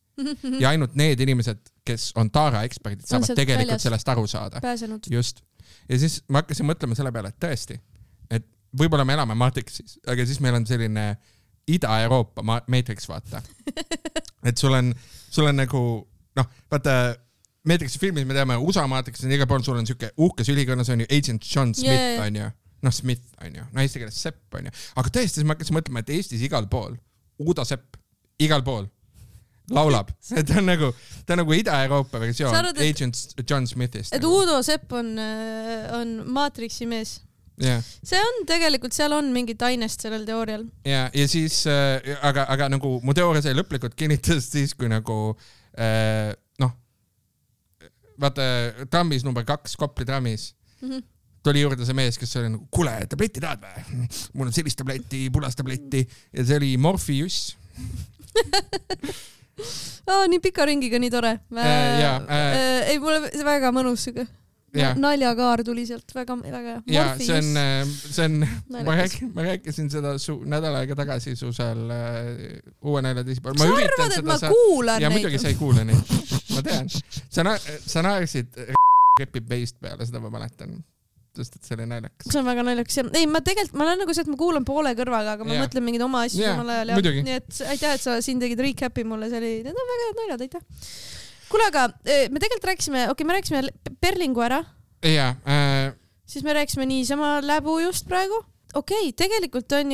Speaker 1: Ja ainult need inimesed, kes on taara eksperdid, saavad tegelikult sellest aru saada.
Speaker 2: Pääsenud.
Speaker 1: Just. Ja siis ma hakkasin mõtlema selle peale, et tõesti, et võib-olla me elame Matrixis, aga siis meil on selline Ida-Euroopa Matrix, vaata. Et sul on nagu, vaata, Matrixi filmis me teame, USA Matrix on igal pool, sul on siuke uhkes ülikonnas on ju Agent John Smith, on ju. Smith, on ju. Eesti keeles Sepp, on ju. Aga tõesti, siis ma hakkasin mõtlema, et Eestis igal pool, Uudo Sepp, igal pool. laulab. Ta on nagu Ida-Euroopa versioon Agent John Smithist.
Speaker 2: Et Udo Sepp on Matrixi mees.
Speaker 1: Yeah.
Speaker 2: See on tegelikult, seal on mingit ainest sellel teoorial.
Speaker 1: Ja siis, aga nagu mu teooria sai lõplikult kinnitas siis, kui nagu vaata trammis number 2, Kopli trammis tuli juurde see mees, kes oli nagu, kuule, tabletti tahad või? Mul on sellist tabletti, pulas tabletti ja see oli Morpheus.
Speaker 2: Nii pika ringiga, nii tore. Ei, mulle väga mõnus süge. Naljakaar tuli sealt väga hea.
Speaker 1: Ja, see on ma rääkisin seda nädal aega tagasi su seal uue nalja teisipäeval.
Speaker 2: Sa arvad, et ma kuulan neid?
Speaker 1: Ja muidugi sa ei kuule neid. Ma tean. Sa naersid repib beist peale, seda ma mäletan. Sest et see oli naljakas. See on väga naljakas. Ei, ma olen nagu see, et ma kuulan poole kõrvaga, aga ma mõtlen mingid oma asju samal ajal. Nii et aitäh, et sa siin tegid recapi mulle. Need on väga head naljad, aitäh. Kuule, aga me tegelikult rääkisime, me rääkisime Perlingu ära. Ja.
Speaker 2: Siis me rääkisime niisama läbu just praegu. Tegelikult on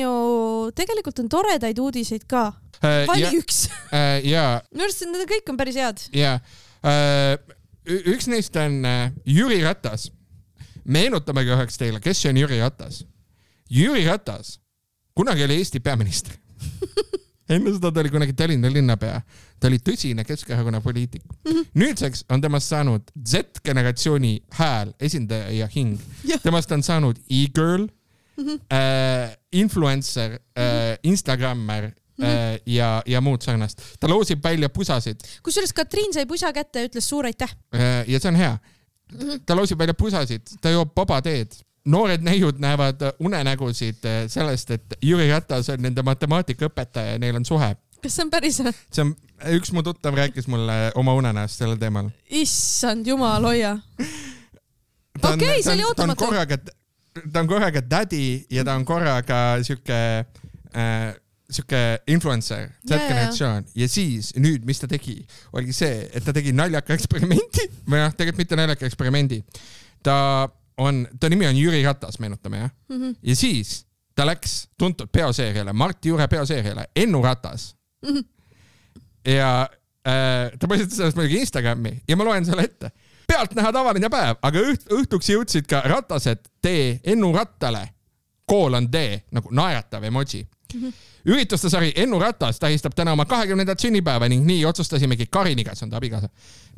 Speaker 2: toredaid uudiseid ka. Vali üks. Minu arust need kõik on päris head.
Speaker 1: Ja. Üks neist on Jüri Ratas. Meenutamegi üheks teile, kes on Jüri Ratas. Jüri Ratas kunagi oli Eesti peaminister. Enne seda ta oli kunagi Tallinna linnapea. Ta oli tõsine Keskerakonna poliitik. Nüüdseks on temast saanud Z-generatsiooni hääl, esindaja ja hing. Temast on saanud e-girl, influencer, instagrammer ja muud sarnast. Ta loosib välja pusasid.
Speaker 2: Kusjuures Katriin sai pusa kätte ja ütles suur aitäh.
Speaker 1: Ja see on hea. Ta loosib välja pusasid, ta joob babateed. Noored näiud näevad unenägusid sellest, et Jüri Ratas on nende matemaatikaõpetaja ja neil on suhe.
Speaker 2: Kas see on päris?
Speaker 1: See on, üks mu tuttav rääkis mulle oma unenäost sellel teemal.
Speaker 2: Issand, jumal, hoia. See oli ootamatu.
Speaker 1: Ta on korraga daddy ja ta on korraga siuke influencer, Z-generatsioon. Ja siis nüüd, mis ta tegi, oligi see, et ta tegi naljaka eksperimenti, või tegelikult mitte naljaka eksperimendi. Ta nimi on Jüri Ratas, meenutame, jah? Ja siis ta läks tuntud peoseeriale, Marti Jure peoseeriale, Ennu Ratas. Ja ta põsitas sellest muidugi Instagrami ja ma loen selle ette. Pealt näha tavaline päev, aga õhtuks jõudsid ka Ratased tee Ennu Rattale. Kool on tee, nagu naeratav emoji. Ürituste sari Ennu Ratas tähistab täna oma 20. sünnipäeva ning nii otsustasimegi Kariniga, see on ta abikaasa,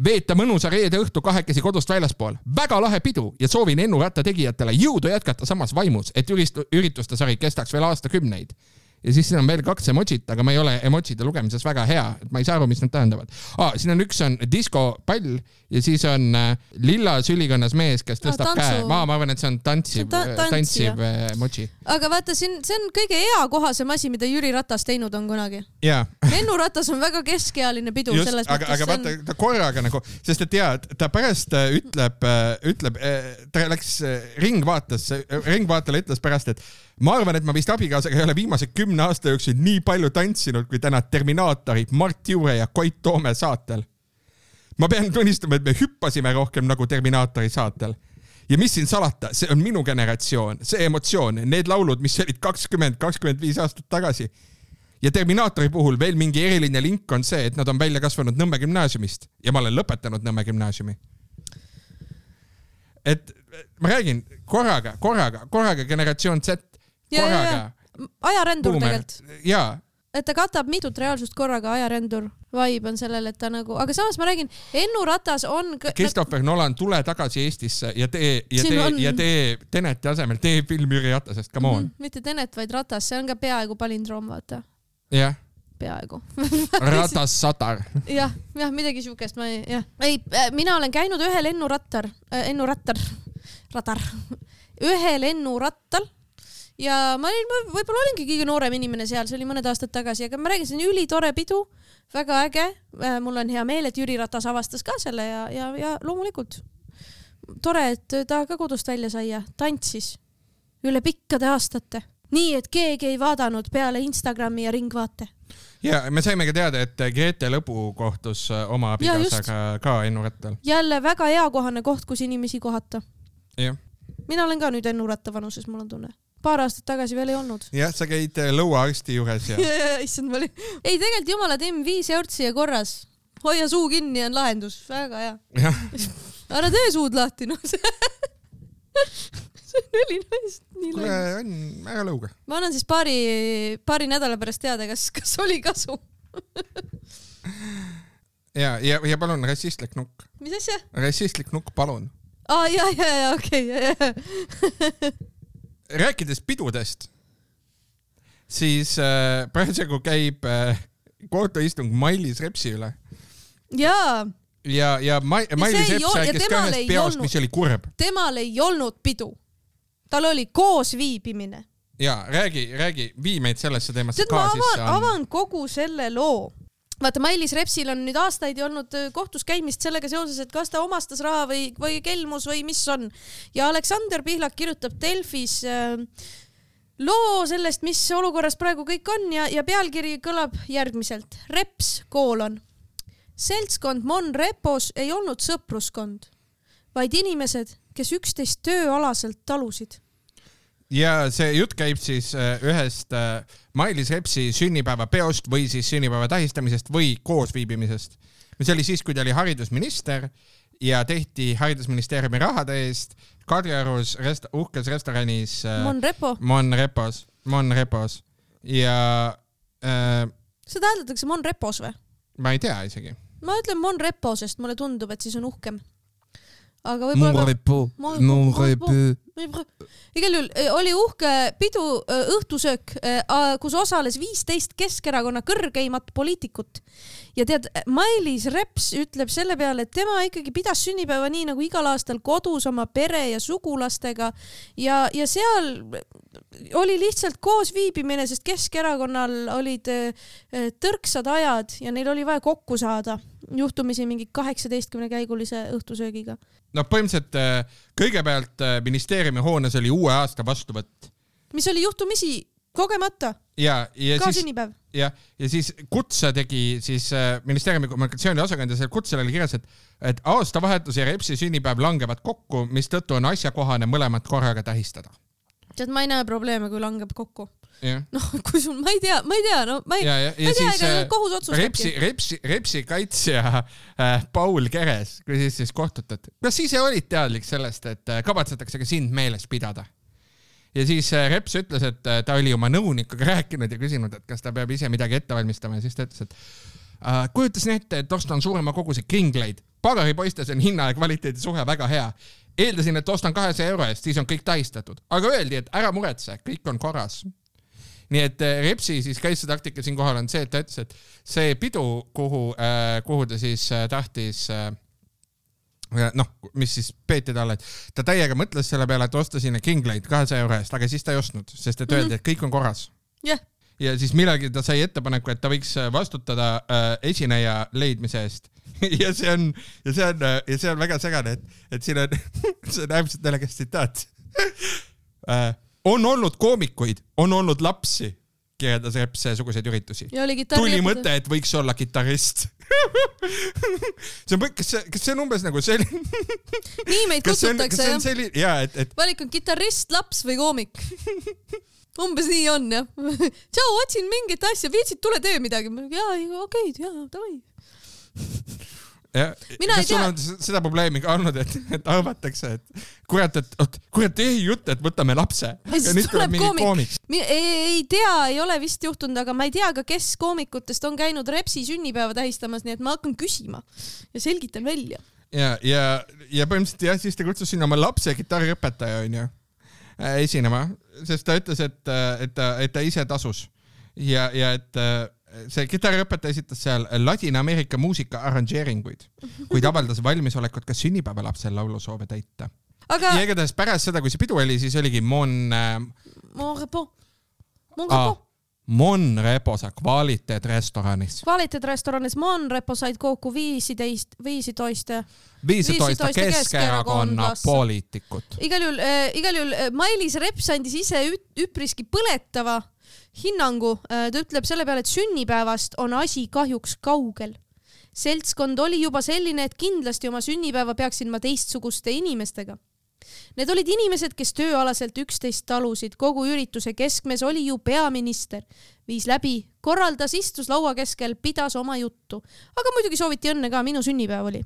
Speaker 1: veeta mõnusa reede õhtu kahekesi kodust väljaspool. Väga lahe pidu ja soovin Ennu Ratta tegijatele jõudu jätkata samas vaimus, et ürituste sari kestaks veel aastakümneid. Ja siis siin on veel 2 emojit, aga ma ei ole emojide lugemises väga hea, et ma ei saa aru, mis need tähendavad. Siin on üks on diskopall ja siis on lilla sülikonnas mees, kes tõstab käe. Ma arvan, et see on tantsiv emoji.
Speaker 2: Aga vaata, see on kõige eakohasem asi, mida Jüri Ratas teinud on kunagi. Ennu Ratas on väga keskealine pidu.
Speaker 1: Just, aga vaata, ta korraga nagu, sest et ta pärast ütleb, ta läks ringvaatele ütles pärast, et ma arvan, et ma vist abikaasaga ei ole viimase 10 aasta jooksul nii palju tantsinud, kui täna Terminaatorid Mart Jure ja Koit Toome saatel. Ma pean tunnistama, et me hüppasime rohkem nagu Terminaatori saatel. Ja mis siin salata, see on minu generatsioon, see emotsioon, need laulud, mis olid 20-25 aastat tagasi. Ja Terminaatori puhul veel mingi eriline link on see, et nad on välja kasvanud Nõmme gümnaasiumist ja ma olen lõpetanud Nõmme gümnaasiumi. Et ma räägin korraga generatsioon Z.
Speaker 2: Ajarendur tegelikult.
Speaker 1: Jaa.
Speaker 2: Et ta katab mitut reaalsust korraga, ajarendur vibe on sellel, et ta nagu, aga samas ma räägin, Ennu Ratas on...
Speaker 1: Christopher Nolan, tule tagasi Eestisse ja tee Teneti asemel, tee film Jüri Ratasest, come on.
Speaker 2: Mitte Tenet, vaid Ratas, see on ka peaaegu palindroom, vaata.
Speaker 1: Jah.
Speaker 2: Peaaegu.
Speaker 1: Ratas Satar.
Speaker 2: Jah, midagi siukest. Mina olen käinud ühel Ennu Rattal. Ühel Ennu Rattal. Ja ma võib-olla olingi kõige noorem inimene seal, see oli mõned aastad tagasi, aga ma räägin, see on ülitore pidu, väga äge. Mul on hea meel, et Jüri Ratas avastas ka selle ja loomulikult tore, et ta ka kodust välja sai ja tantsis üle pikkade aastate. Nii, et keegi ei vaadanud peale Instagrami ja ringvaate.
Speaker 1: Ja me saimegi teada, et Grete Lõbu kohtus oma abikaasaga ka Ennu Rattal.
Speaker 2: Jälle väga eakohane koht, kus inimesi kohata.
Speaker 1: Jah.
Speaker 2: Mina olen ka nüüd Ennu Ratta vanuses, mul on tunne. paar aastat tagasi veel ei olnud.
Speaker 1: Jah, sa käid lõuaarsti juures ja...
Speaker 2: Issand, ma olin... Ei, tegelikult jumala Tim 5 eurtsi ja korras. Hoia suu kinni on lahendus. Väga hea. Ära tee suud lahti, noh. See on ülinaist.
Speaker 1: Kuule, on väga lõuga.
Speaker 2: Ma annan siis paari nädala pärast teada, kas oli kasu.
Speaker 1: ja palun rassistlik nukk.
Speaker 2: Mis asja?
Speaker 1: Rassistlik nukk, palun.
Speaker 2: Ja, okei.
Speaker 1: Rääkides pidudest, siis praegu käib kohtuistung Mailis Repsi üle.
Speaker 2: Jaa.
Speaker 1: Ja Mailis Reps rääkis ka ühest peost, mis oli kurb.
Speaker 2: Temal ei olnud pidu. Tal oli koos viibimine.
Speaker 1: Ja, räägi, vii meid sellesse teemasse ka
Speaker 2: sisse. Ma avan kogu selle loo. Vaata, Mailis Repsil on nüüd aastaid olnud kohtus käimist sellega seoses, et kas ta omastas raha või kelmus või mis on. Ja Aleksander Pihlak kirjutab Delfis loo sellest, mis olukorras praegu kõik on ja pealkiri kõlab järgmiselt. Reps : seltskond Mon Repos ei olnud sõpruskond, vaid inimesed, kes üksteist tööalaselt talusid.
Speaker 1: Ja see jutt käib siis ühest Mailis Repsi sünnipäeva peost või siis sünnipäeva tähistamisest või koosviibimisest. See oli siis, kui ta oli haridusminister ja tehti haridusministeeriumi rahade eest Kadriorus uhkes restoranis Mon Repos. Ja
Speaker 2: seda hääldatakse Mon Repos või?
Speaker 1: Ma ei tea isegi.
Speaker 2: Ma ütlen Mon Repo, sest mulle tundub, et siis on uhkem. Aga
Speaker 1: Mon Repo.
Speaker 2: Igal juhul oli uhke pidu õhtusöök, kus osales 15 Keskerakonna kõrgeimat poliitikut. Ja tead, Mailis Reps ütleb selle peale, et tema ikkagi pidas sünnipäeva nii nagu igal aastal kodus oma pere ja sugulastega ja seal oli lihtsalt koos viibimine, sest Keskerakonnal olid tõrksad ajad ja neil oli vaja kokku saada juhtumisi mingi 18 käigulise õhtusöögiga.
Speaker 1: No põhimõtteliselt kõigepealt ministeeriumi hoones oli uue aasta vastuvõtt.
Speaker 2: Mis oli juhtumisi kogemata.
Speaker 1: Ja
Speaker 2: ka sünnipäev.
Speaker 1: Ja siis kutse tegi siis ministeeriumi kommunikatsiooni osakond ja seal kutsel oli kirjas, et aastavahetus ja Repsi sünnipäev langevad kokku, mis tõttu on asjakohane mõlemat korraga tähistada.
Speaker 2: Tead, ma ei näe probleeme, kui langeb kokku.
Speaker 1: Yeah.
Speaker 2: No, kui sul, ma ei tea, no ma ei tea, ega kohus otsustabki.
Speaker 1: Repsi kaitsja Paul Keres, kui siis kohtutat. Kas ise olid teadlik sellest, et kavatsetakse ka sind meeles pidada? Ja siis Reps ütles, et ta oli oma nõunikuga rääkinud ja küsinud, et kas ta peab ise midagi ette valmistama ja siis ta ütles, et kujutas ette, et ostan suurema koguse kringleid. Pagaripoistes on hinna ja kvaliteedi suhe väga hea. Eeldasin, et ostan 200 euro eest, siis on kõik tähistatud. Aga öeldi, et ära muretse, kõik on korras. Nii et Repsi siis kaitsetaktika siin kohal on see, et ta ütles, et see pidu, kuhu ta siis tahtis, mis siis peeti talle, et ta täiega mõtles selle peale, et osta sinna kringleid 200 euro eest, aga siis ta ei ostnud, sest et öeldi, et kõik on korras.
Speaker 2: Yeah.
Speaker 1: Ja siis millegi ta sai ettepaneku, et ta võiks vastutada esineja leidmise eest. Ja see on väga segane, et siin on, see on äärmiselt näljas tsitaat. On olnud koomikuid, on olnud lapsi, kirjeldas Reps seesuguseid üritusi. Tuli mõte, et võiks olla kitarrist. Kas see on umbes nagu selline...
Speaker 2: Nii meid kutsutakse,
Speaker 1: jah.
Speaker 2: Valik on kitarrist, laps või koomik. Umbes nii on, jah. Tšau, otsin mingit asja, viitsid, tule tee midagi. Okei, davai.
Speaker 1: Kas sul on seda probleemi ka olnud, et arvatakse, et kurat ei jutt, et võtame lapse. Aga nüüd tuleb mingi koomik.
Speaker 2: Ei tea, ei ole vist juhtunud, aga ma ei tea ka, kes koomikutest on käinud Repsi sünnipäeva tähistamas, nii et ma hakkan küsima ja selgitan välja.
Speaker 1: Ja põhimõtteliselt jah, siis ta kutsus sinna oma lapse kitarriõpetaja esinema, sest ta ütles, et ta ise tasus ja et see kitarriõpetaja esitas seal Ladina-Ameerika muusika arranžeeringuid, kuid avaldas valmisolekut ka sünnipäeva lapsel laulusoove täita. Ja igatahes pärast seda, kui see pidu oli, siis oligi Mon Repo kvaliteetrestoranis.
Speaker 2: Kvaliteetrestoranis Mon Repo said kokku 15
Speaker 1: Keskerakonna poliitikut.
Speaker 2: Igal juhul Mailis Reps andis ise üpriski põletava hinnangu. Ta ütleb selle peale, et sünnipäevast on asi kahjuks kaugel. Seltskond oli juba selline, et kindlasti oma sünnipäeva peaksin ma teistsuguste inimestega. Need olid inimesed, kes tööalaselt 11 talusid. Kogu ürituse keskmes oli ju peaminister. Viis läbi, korraldas, istus laua keskel, pidas oma juttu. Aga muidugi sooviti õnne ka, minu sünnipäev oli.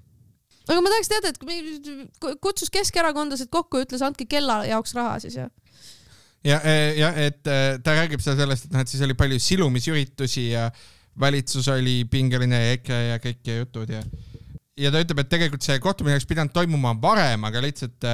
Speaker 2: Aga ma tahaks teada, et kutsus keskerakondlased kokku ja ütles, andke kella jaoks raha siis ja.
Speaker 1: Ja, et ta räägib sellest, et siis oli palju silumisüritusi ja valitsus oli pingeline ja EKRE ja kõik ja jutud ja ta ütleb, et tegelikult see kohtumine oleks pidanud toimuma varem, aga lihtsalt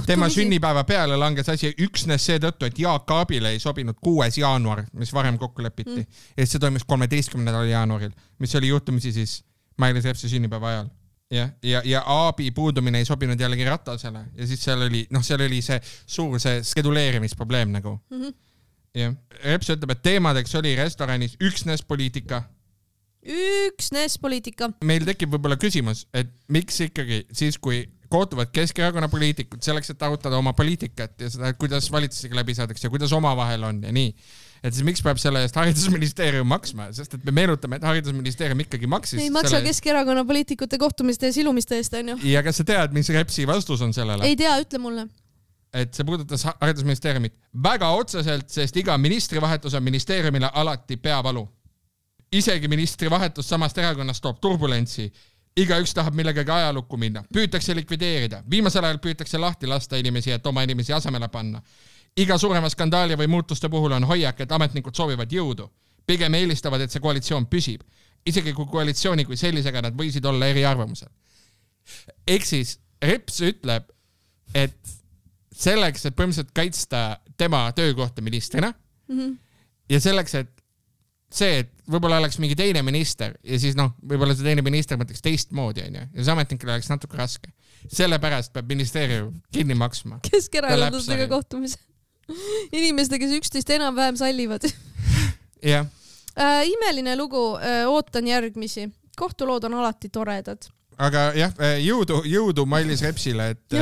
Speaker 1: tema sünnipäeva peale langes asi üksnes seetõttu, et Jaak Aabile ei sobinud 6. jaanuar, mis varem kokku lepiti. Ja see toimus 13. jaanuaril, mis oli juhtumisi siis Mailis Repsi sünnipäeva ajal. Ja Aabi puudumine ei sobinud jällegi Ratasele ja siis seal oli see suur skeduleerimisprobleem nagu. Ja Reps ütleb, et teemadeks oli restoranis üksnes poliitika. Meil tekib võib-olla küsimus, et miks ikkagi siis, kui kohtuvad Keskerakonna poliitikud selleks, et arutada oma poliitikat ja seda, kuidas valitsusega läbi saadakse ja kuidas omavahel on ja nii. Et siis miks peab selle eest haridusministeerium maksma, sest et me meenutame, et haridusministeerium ikkagi maksis.
Speaker 2: Ei maksa Keskerakonna poliitikute kohtumiste ja silumiste eest, on ju.
Speaker 1: Ja kas sa tead, mis Repsi vastus on sellele?
Speaker 2: Ei tea, ütle mulle.
Speaker 1: Et see puudutas haridusministeeriumit väga otseselt, sest iga ministrivahetus on ministeeriumile alati peavalu. Isegi ministrivahetus samast erakonnast toob turbulentsi. Igaüks tahab millegagi ajalukku minna. Püütakse likvideerida. Viimasel ajal püütakse lahti lasta inimesi, et oma inimesi asemele panna. Iga suurema skandaali või muutuste puhul on hoiak, et ametnikud soovivad jõudu. Pigem eelistavad, et see koalitsioon püsib. Isegi kui koalitsiooni kui sellisega nad võisid olla eri arvamusel. Ehk siis Reps ütleb, et selleks, et põhimõtteliselt kaitsta tema töökohta ministrina ja selleks, et see, et võib-olla oleks mingi teine minister ja siis võib-olla see teine minister mõtleks teistmoodi ja see ametnikele oleks natuke raske. Sellepärast peab ministeerium kinni maksma.
Speaker 2: Keskerakondlastega kohtumise. Inimeste, kes 11 enam-vähem sallivad.
Speaker 1: Jah.
Speaker 2: Imeline lugu, ootan järgmisi. Kohtulood on alati toredad.
Speaker 1: Aga jah, jõudu Mailis Repsile, et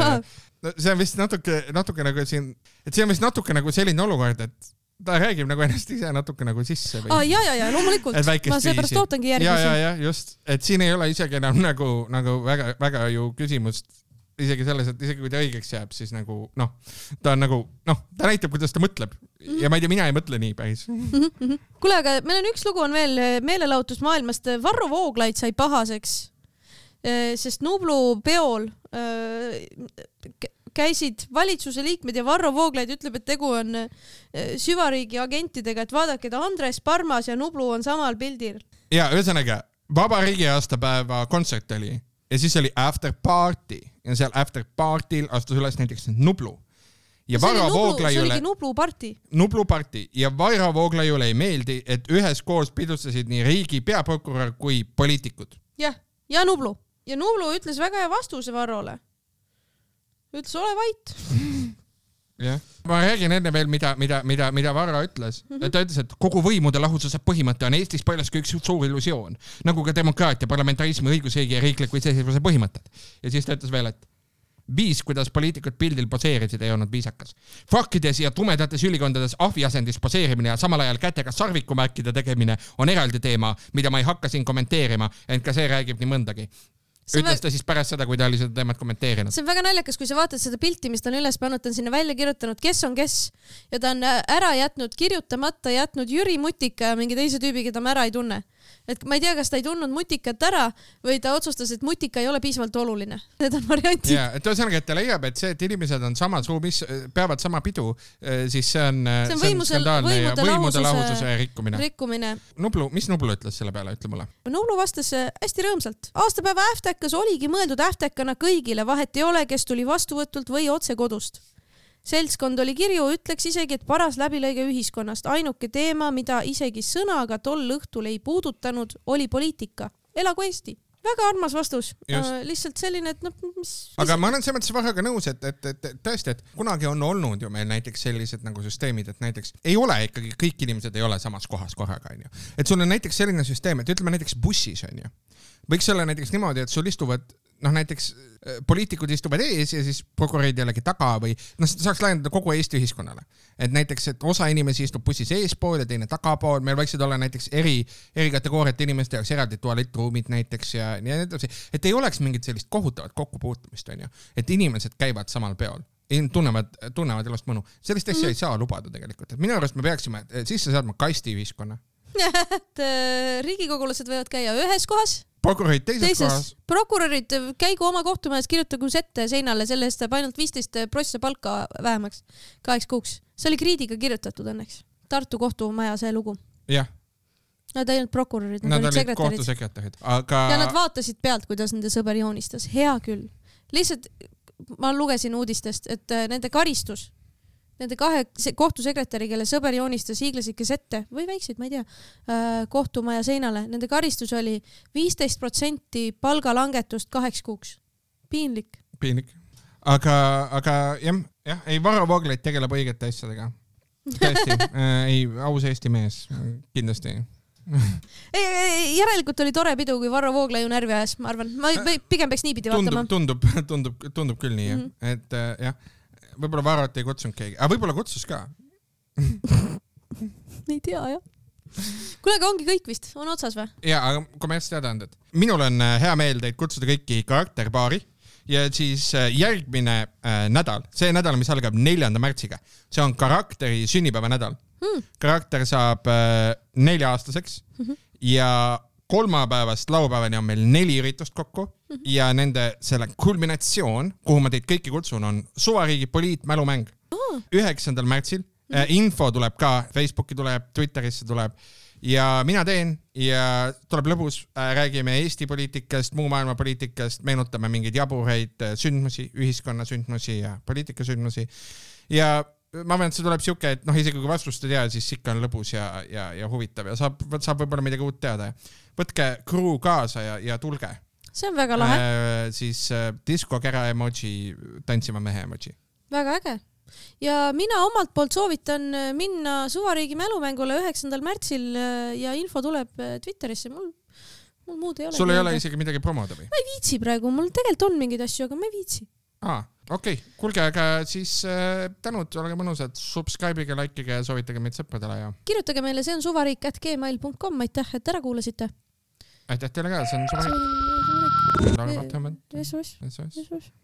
Speaker 1: see on vist natuke nagu siin, et see on vist natuke nagu selline olukord, et ta räägib nagu ennast ise natuke nagu sisse.
Speaker 2: Ja, loomulikult. Ma seepärast ootangi järgmisi.
Speaker 1: Ja, just. Et siin ei ole isegi enam nagu väga ju küsimust isegi selles, et isegi kui ta õigeks jääb, siis nagu, ta on nagu, ta näitab, kuidas ta mõtleb. Ja ma ei tea, mina ei mõtle nii päris.
Speaker 2: Kuule, aga meil on üks lugu on veel meelelahutusmaailmast. Varro Vooglaid sai pahaseks, sest Nublu peol käisid valitsuse liikmed ja Varro Vooglaid ütleb, et tegu on süvariigi agentidega, et vaadake, et Andres Parmas ja Nublu on samal pildil.
Speaker 1: Ja, ühesõnaga, vabariigi aastapäeva kontsert oli ja siis oli after party ja seal after partyl astus üles näiteks Nublu. Ja
Speaker 2: see oligi Nublu party.
Speaker 1: Nublu party ja Varro Vooglaiule ei meeldi, et ühes koos pidustasid nii riigi peaprokurör kui poliitikud.
Speaker 2: Ja Nublu. Ja Nublu ütles väga hea vastuse Varrole. Ütles, ole vait.
Speaker 1: Ja. Ma räägin enne veel, mida Varro ütles. Ta ütles, et kogu võimude lahususe põhimõte on Eestis paljuski üks suur illusioon, nagu ka demokraatia, parlamentarismi, õigusriigi ja riikliku iseseisvuse põhimõtted. Ja siis ta ütles veel, et viis, kuidas poliitikud pildil poseerisid, ei olnud viisakas. Fakkides ja tumedates ülikondades ahviasendis poseerimine ja samal ajal kätega sarvikumärkide tegemine on eraldi teema, mida ma ei hakka siin kommenteerima, ent ka see räägib nii mõndagi. Ütles ta siis pärast seda, kui ta oli seda teemat kommenteerinud.
Speaker 2: See on väga naljakas, kui sa vaatad seda pilti, mis ta on üles pannud, ta on sinna välja kirjutanud, kes on kes. Ja ta on ära jätnud, kirjutamata jätnud Jüri Mutika ja mingi teise tüübi, keda ma ära ei tunne. Et ma ei tea, kas ta ei tundnud Mutikat ära või ta otsustas, et Mutika ei ole piisavalt oluline. Need on variantid.
Speaker 1: Ja, et ühesõnaga, et ta leiab, et see, et inimesed on samas ruumis, peavad sama pidu, siis see on skandaalne ja võimude lahususe rikkumine. Nublu, mis Nublu ütles selle peale, ütle mulle?
Speaker 2: Nublu vastas hästi rõõmsalt. Aastapäeva äftäkas oligi mõeldud äftäkana kõigile, vahet ei ole, kes tuli vastuvõtult või otse kodust. Seltskond oli kirju, ütleks isegi, et paras läbilõige ühiskonnast. Ainuke teema, mida isegi sõnaga tol õhtul ei puudutanud, oli poliitika. Elagu Eesti. Väga armas vastus. Lihtsalt selline, et mis...
Speaker 1: Aga ma olen selles mõttes väga nõus, et tõesti, et kunagi on olnud ju meil näiteks sellised nagu süsteemid, et näiteks ei ole ikkagi, kõik inimesed ei ole samas kohas korraga, on ju. Et sul on näiteks selline süsteem, et ütleme näiteks bussis, on ju. Võiks olla näiteks niimoodi, et sul istuvad näiteks poliitikud istuvad ees ja siis prokurörid jällegi taga või saaks laiendada kogu Eesti ühiskonnale. Et näiteks, et osa inimesi istub bussis eespool ja teine tagapool, meil võiksid olla näiteks eri kategooriate inimeste jaoks eraldi tualettruumid näiteks ja nii edasi, et ei oleks mingit sellist kohutavat kokkupuutumist, on ju, et inimesed käivad samal peol. tunnevad elust mõnu. Sellist asja ei saa lubada tegelikult. Et minu arust me peaksime sisse saadma kasti ühiskonna.
Speaker 2: Et riigikogulased võivad käia ühes kohas.
Speaker 1: Prokurorid teises kohas.
Speaker 2: Prokurorid käigu oma kohtumajas, kirjutagu sette seinale, selle eest ainult 15 prossa palka vähemaks 8 kuuks. See oli Kriidiga kirjutatud õnneks. Tartu kohtumaja see lugu.
Speaker 1: Jah.
Speaker 2: Nad olid prokurorid.
Speaker 1: Nad olid kohtusekretärid. Aga...
Speaker 2: Ja nad vaatasid pealt, kuidas nende sõber joonistas. Hea küll. Lihtsalt ma lugesin uudistest, et nende karistus, nende 2 kohtusekretäri, kelle sõber joonistas hiiglasike sette või väikseid, ma ei tea, kohtumaja seinale, nende karistus oli 15% palgalangetust 8 kuuks. Piinlik.
Speaker 1: Aga jah, ei Varro Vooglaid tegeleb õigete asjadega. Tõesti, ei, aus Eesti mees, kindlasti.
Speaker 2: Järelikult oli tore pidu, kui Varro Vooglaiu närvi ajas, ma arvan. Ma pigem peaks niipidi vaatama.
Speaker 1: Tundub küll nii, et jah, võib-olla Varrot ei kutsunud keegi, aga võib-olla kutsus ka.
Speaker 2: Ei tea, jah. Kuule, aga ongi kõik vist, on otsas või?
Speaker 1: Ja, aga kommertsteadaanded. Minul on hea meel teid kutsuda kõiki karakterpaari ja siis järgmine nädal, see nädal, mis algab 4. märtsiga, see on karakteri sünnipäeva nädal. Karakter saab 4-aastaseks ja kolmapäevast laupäevani on meil 4 üritust kokku ja nende selle kulminatsioon, kuhu ma teid kõiki kutsun, on Suvariigi poliitmälumäng 9. märtsil. Info tuleb ka, Facebooki tuleb, Twitterisse tuleb ja mina teen ja tuleb lõbus, räägime Eesti poliitikast, muu maailma poliitikast, meenutame mingeid jaburaid sündmusi, ühiskonna sündmusi ja poliitikasündmusi ja ma arvan, et see tuleb siuke, et isegi kui vastust ei tea, siis ikka on lõbus ja huvitav ja saab võib-olla midagi uut teada. Võtke crew kaasa ja tulge.
Speaker 2: See on väga lahe.
Speaker 1: Siis diskokera emoji, tantsima mehe emoji.
Speaker 2: Väga äge. Ja mina omalt poolt soovitan minna Suvariigi mälumängule 9. märtsil ja info tuleb Twitterisse. Mul muud ei ole.
Speaker 1: Sul ei ole isegi midagi promoda või?
Speaker 2: Ma ei viitsi praegu, mul tegelikult on mingeid asju, aga ma ei viitsi.
Speaker 1: Okei. Kuulge, aga siis tänud, olege mõnusad, subscribe'ige, likeige ja soovitage meid sõpradele ja... Kirjutage meile, see on suvariik@gmail.com, aitäh, et ära kuulasite. Aitäh teile ka, see on Suvariik.